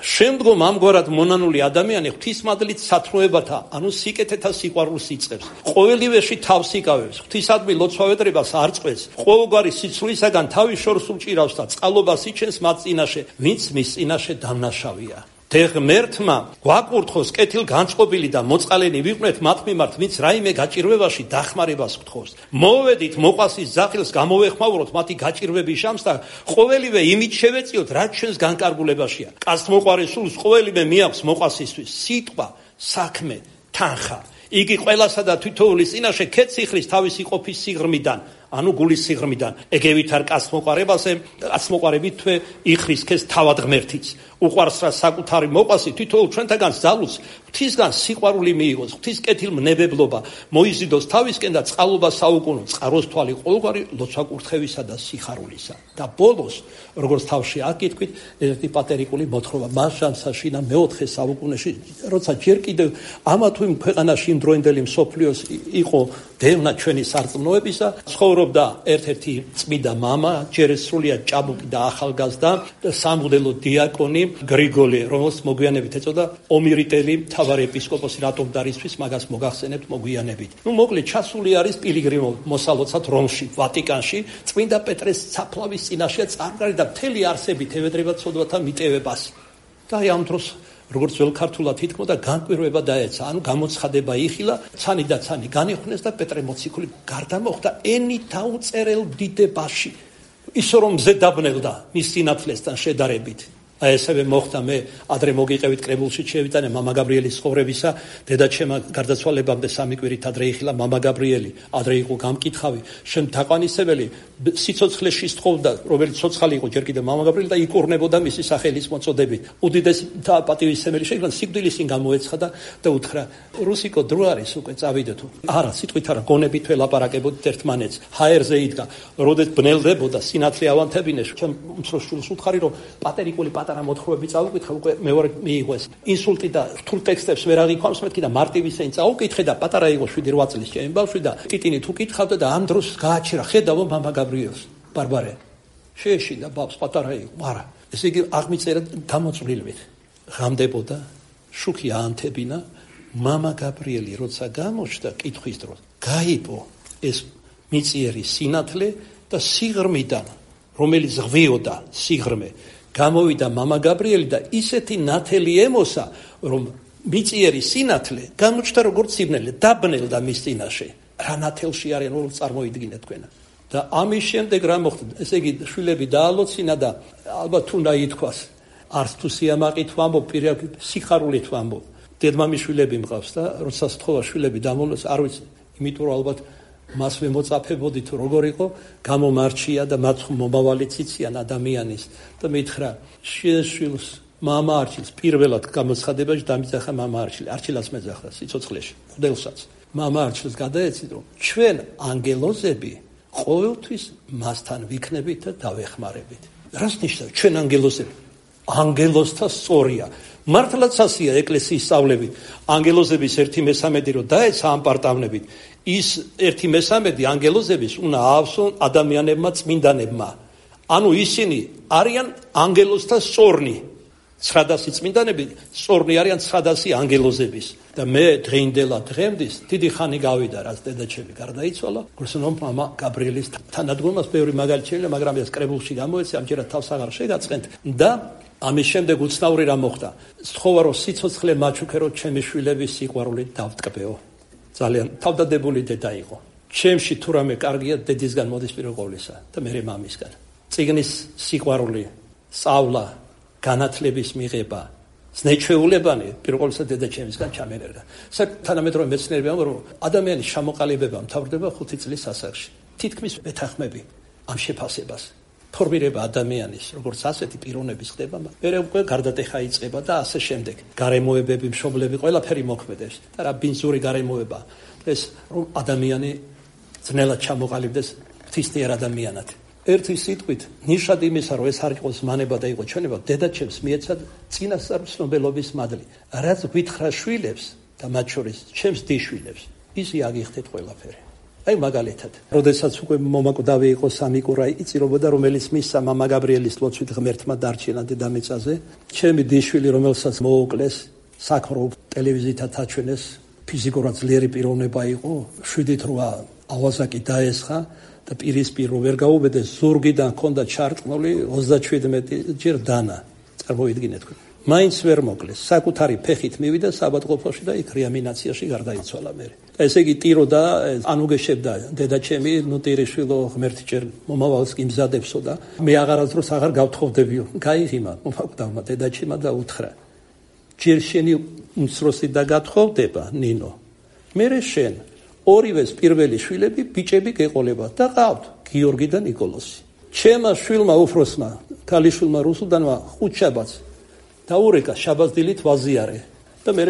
შემდგომ ამგვარად მონანული ადამიანი ღვთისმადლით სათნოებათა, ანუ სიკეთეთა სიყვარულს იწყებს. ყოველივეში თავს იკავებს, ღვთისადმი ლოცვავედრებას არ წყვეტს, ყოველგვარი სიცრუისაგან თავის შორს უჭირავს და წყალობას იჩენს მათ წინაშე, ვინც მის წინაშე დამნაშავია. და ღმერთმა გვაკურთხოს კეთილ განწყობილი და მოწყალენი ვიყვნეთ მათ მიმართ, ვინც რაიმე გაჭირვებაში დახმარებას გთხოვს. მოვედით მოყვასის ზახილს გამოვეხმაუროთ მათი გაჭირვების შამს და ყოველივე იმით შევეწიოთ, რაც ჩვენს განკარგულებაშია. კაცთმოყვარე სულს ყოველივე მიაქვს მოყვასისთვის, სიტყვა, საქმე, თანხა. იგი ყველასა და თითოეულის წინაშე ქეციხლის თავისი ყოფის სიღრმიდან. ანუ გულის სიღრმიდან. ეგევით არ კაცმოყარებით თვე იხრის ქეს თავად ღმერთიც. უყვარს რა საკუთარი მოყვასი თითოეულ ჩვენთაგან ძალუց ღვთისგან სიყვარული მიიღოს, ღვთის კეთილმნებებლობა მოიზიდოს თავისკენ და წყალობა საუკუნო, წყაროს თვალი ყოველგვარი ლოცვა-კურთხევისა და სიხარულისა. და ბოლოს, როგორც თავში აკითხვით, ერთი პატერიკული მოთხრობა მას შანსაშინა მეოთხე საუკუნეში, როცა ჯერ კიდევ ამა თუ იმ ქვეყანაში იმ დროინდელი მსოფლიოს იყო დევნა ჩვენი სარწმუნოებისა, ცხოვრობდა ერთ-ერთი წმიდა მამა, ჯერ სრულიად ჭაბუკი და ახალგაზრდა, სამღვდელო დიაკონი გრიგოლი, რომელს მოგვიანებით ეწოდა ომირიტელი მთავარი ეპისკოპოსი, რატომ დარისთვის მაგას მოგახსენებთ მოგვიანებით. მოკლედ ჩასული არის პილიგრიმო მოსალოცად რომში, ვატიკანში, წმინდა პეტრეს საფლავის წინაშე წარგარი და მთელი არსებით ევედრება ცოდვათა მიტევებას. და ამ დროს როგორც ველქართულად ითქმოდა, განკვირვება დაეცა, ანუ გამოცხადება იხილა, ცანი და ცანი განიხვნეს და პეტრე მოციქული გარდა მოხდა ენი დაუწერელ დიდებაში, ისო რომ მზე დაბნელდა მის სინათლესთან შედარებით. აი ესევე მოხდა, მე ადრე მოგიყევით კრებულში შევიტანე მამა გაბრიელის ცხოვრებისა, დედაჩემა გარდაცვალებამდე 3 კვირით ადრე იხილა მამა გაბრიელი, ადრე იყო გამკითხავი, შენ თაყვანისებელი სიცოცხლეში სთხოვდა, რომელიც ცოცხალი იყო ჯერ კიდევ მამა გაბრიელი და იკურნებოდა მისი სახელის მოწოდებით. უდიდესი პატივისცემელი შეიქმნა, სიკვდილისინ გამოეცხადა და უთხრა, რუსიკო დრო არის უკვე წავიდე თუ. არა, სიტყვით არა, გონებით ველაპარაკებოდით ერთმანეთს. ჰაერზე იდგა, როდეს ბნელდებოდა სინათლე ავანთებინეს, ჩემ უმცროს შვილს უთხარი, რომ პატერიკული პატარა მოთხრობები წავუკითხე, უკვე მეორე მიიღეს. ინსულტი და რთულ ტექსტებს ვერ აღიქვამს მეთქი და მარტივისეინ წავუკითხე და პატარა იყო 7-8 წლის ჩემი ბავშვი და ტიტინი თუ კითხავდა და ამ დროს გააჩერა, ხედავო მამა გაბრიელს, ბარბარე. შეეშინდა ბავშვს, პატარა იყო, არა. ესე იგი აღმიწერა გამოწვლილვით. ღამდებოდა, შუქი აანთებინა, მამა გაბრიელი როცა გამოჩნდა კითხვის დროს, გაიპო ეს მიწიერი სინათლე და სიღრმიდან, რომელიც ღვიოდა სიღრმე, გამოვიდა მამა გაბრიელი და ისეთი ნათელი ემოსა, რომ მიწიერი სინათლე გამოჩნდა როგორც სიბნელე, დაბნელდა მის წინაშე. რა ნათელში არიან, რომ წარმოიდგინეთ თქვენ. და ამის შემდეგ რა მოხდა? ესე იგი შვილები დაალოცინა და ალბათ უნდა ითქვას, არც თუ სიამაყით ვამბობ, პირდაპირ სიხარულით ვამბობ. დედმამის შვილები მყავს და როცა სთხოვა შვილები დამოლოს, არ ვიცი, იმიტომ რომ ალბათ მასვე მოწაფებოდი თუ როგორ იყო, გამომარჩია და მათ მომავალი ციციან ადამიანის და მითხრა, შვილს მამა არჩილს, პირველად გამოცხადებაში დამიძახა მამა არჩილას მეძახდა სიცოცხლეში, ხდელსაც. მამა არჩილს გადაეცით, რომ ჩვენ ანგელოზები ყოველთვის მასთან ვიქნებით და დავეხმარებით. რას ნიშნავს ჩვენ ანგელოზები? ანგელოზთა სწორია. მართლაც ასია ეკლესიის სწავლები. ანგელოზების 1/3 რო დაეცა ამ პარტავნებით, ის 1/3 ანგელოზების უნდა აავსონ ადამიანებმა წმინდანებმა. ანუ ისინი არიან ანგელოზთა სწორნი. 900 წმინდანები სწორნი არიან 900 ანგელოზების. და მე დღეინდელად დღემდის დიდი ხანი გავიდა, რაც დედაჩემი გარდაიცვალა, გრძნობ მამა გაბრიელის თანადგომას ბევრი მაგალითი შეიძლება, მაგრამ ეს კრებულში გამოეცა, ამჯერად თავს აღარ შეგაწყენთ და ამის შემდეგ უცნაური რა მოხდა. სთხოვა რომ სიცოცხლე მაჩუქე რომ ჩემი შვილების სიყვარული დავტკბეო. ძალიან თავდადებული დედა იყო. ჩემში თუ რამე კარგია, დედისგან მოდის პირველ ყოვლისა და მე მამისგან. წიგნის სიყვარული, სწავლა, განათლების მიღება, ზნეჩვეულებანი პირველ ყოვლისა დედაჩემისგან ჩამერერდა. თანამედროვე მეცნიერები ამბობენ, რომ ადამიანის ჩამოყალიბება მთავრდება 5 წლის ასაკში. თითქმის მეთანხმები ამ შეფასებას. ფორმირება ადამიანის, როგორც ასეთი პიროვნების ხდება, მერე უკვე გარდატეხა იწყება და ასე შემდეგ. გარემოებები, მშობლები, ყველაფერი მოქმედებს. და რა ბინძური გარემოება ეს, რომ ადამიანი ძნელად ჩამოყალიბდეს ღვთისმიერ ადამიანად. ერთი სიტყვით, ნიშად იმისა, რომ ეს არ იყოს მანება და იყო ჩვენება, დედაჩემს მიეცა წინასწარ ცნობელობის მადლი. რაც გვითხრა შვილებს და მათ შორის ჩემს დიშვილებს, ისი აგიხდეთ ყველაფერი. აი მაგალითად, როდესაც უკვე მომაკვდავი იყო სამიკურა იწირობოდა, რომელიც მისცა მამა გაბრიელის ლოცვით ღმერთმა დარჩენა დედამიწაზე, ჩემი დიშვილი, რომელსაც მოუკლეს, საქმრო ტელევიზიით აჩვენეს, ფიზიკურად ძლიერი პიროვნება იყო, 7-8 ავაზაკი დაესხა და პირისპირო ვერ გაუბედეს, ზურგიდან ჰქონდა ჩარწყნული 37 ჯერ დანა. წარმოიდგინეთ თქვენ. მაინც ვერ მოკლეს, საკუთარი ფეხით მივიდა საბადყოფოში და იქ რეანიმაციაში გარდაიცვალა მე. ესე იგი ტირო და ანუგეშებდა დედაჩემი, ნუ ტირიშვილო ღმერთი ჯერ მომავალს კი მზადებსო და მე აღარასდროს აღარ გავთხოვდებიო. გაიღიმა მომაკვდავმა დედაჩემა და უთხრა, ჯერ შენი უმცროსი და გათხოვდება, ნინო. მერე შენ ორივეს პირველი შვილები ბიჭები გეყოლებათ და ყავთ გიორგი და ნიკოლოზი. ჩემმა შვილმა უფროსმა ქალიშვილმა რუსუდანმა ხუთშაბათს დაურეკა შაბათდილით ვაზიარე და მე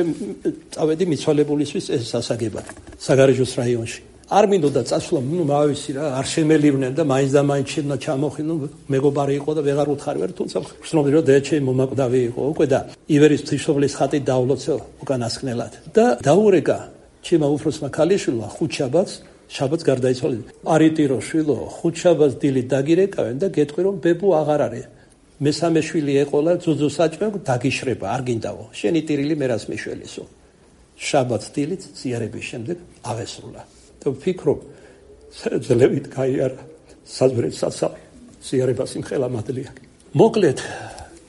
წავედი მიცვალებულისთვის ეს სასაგებად საგარეჯოს რაიონში. არ მინდოდა წასვლა, მავისი რა, არ შემელივნენ და მაინც და მაინც შენა ჩამოხინო, მეგობარი იყო და ვეღარ უთხარ, თუმცა ხსნობდი რომ დედაჩემი მომაკვდავი იყო უკვე და ივერის ღვთისმშობლის ხატი დაავლოცე უკანასკნელად. და დაურეკა ჩემმა უფროსმა ქალიშვილმა ხუთშაბათს, შაბათს გარდაიცვალა. არიტირო შვილო, ხუთშაბათს დილით დაგირეკავენ და გეტყვი რომ ბებუ აღარ არის. მესამე შვილი ეყოლა ძუძუ საჭმე დაგიშრება, არ გინდაო. შენი ტირილი მერას მიშველისო. შაბათს დილით ზიარების შემდეგ აღესრულა. და ვფიქრობ, ძლევით გაიარა საზღვრებს სასავი, ზიარებას იმხელა მადლია. მოკლედ,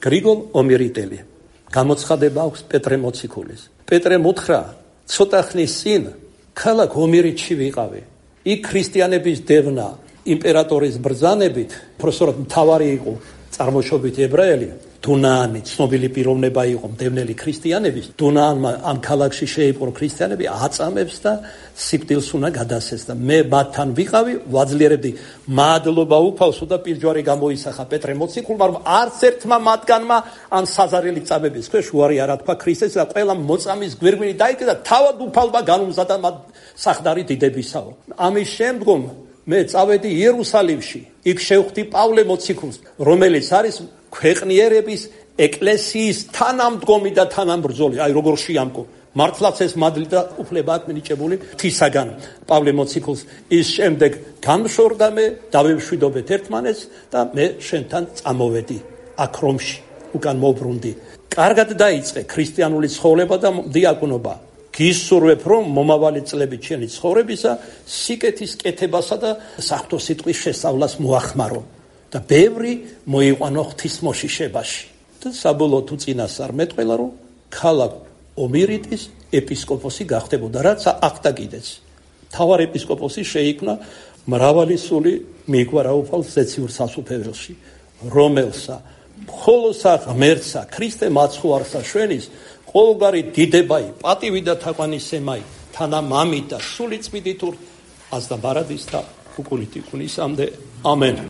გრიგოლ ომირიტელი, გამოცხადება აქვს პეტრე მოციქულის. პეტრე მოთხრა, ცოტა ხნის წინ ქალაქ ომირიტში ვიყავი. იქ ქრისტიანების დევნა იმპერატორის ბრძანებით, პროფესორად მთავარი იყო წარმოშობით ებრაელი, დუნაანი, ცნობილი პიროვნება იყო მდევნელი ქრისტიანების. დუნაანმა ამ ქალაქში შეიპყრო ქრისტიანები, აწამებს და სიკვდილს უნდა გადასცეს და მე მათთან ვიყავი, ვაძლიერებდი მადლობა უფალსო და პირჯვარი გამოისახა პეტრე მოციქულმა, რომ არც ერთმა მათგანმა ამ საზარელი წამების ქვეშ უარი არ ათქვა ქრისტეს და ყველა მოწამის გვირგვინი დაიკიდა და თავად უფალმა განუმზადა მათ სახდარი დიდებისაო. ამის შემდგომ მე წავედი იერუსალიმში, იქ შევხვდი პავლე მოციქულს, რომელიც არის ქვეყნიერების ეკლესიის თანამდგომი და თანამბრძოლი, აი როგორ შეამკო. მართლაც ეს მადლი და უფლება აქვს მინიჭებული ღვთისაგან პავლე მოციქულს. ის შემდეგ გამშორდა მე, დავემშვიდობეთ ერთმანეთს და მე შენთან წამოვედი აქ რომში, უკან მოვბრუნდი. კარგად დაიწყე ქრისტიანული ცხოვრება და დიაკვნობა. გისურვებ რომ მომავალი წლები ჩვენი ცხოვრებისა სიკეთის კეთებასა და საღვთო სიტყვის შესწავლას მოახმარო და ბევრი მოიყვანო ღვთისმოშიშებაში. და საბოლოოდ უწინასწარ მეტყველა რომ ქალაქ ომირიტის ეპისკოპოსი გახდებოდა, რაც ახდა კიდეც. მთავარ ეპისკოპოსი შეიქმნა მრავალი სული მიგვარა უფალს ზეციურ სასუფეველში, რომელსა მხოლოსა ღმერთსა ქრისტე მაცხოვარსა შვენის ყოველგვარი დიდებაი, პატივი და თაყვანისცემაი, თანა მამით და სული წმინდით აზდა ბარადის და უკულით იქუნისამდე. ამენ.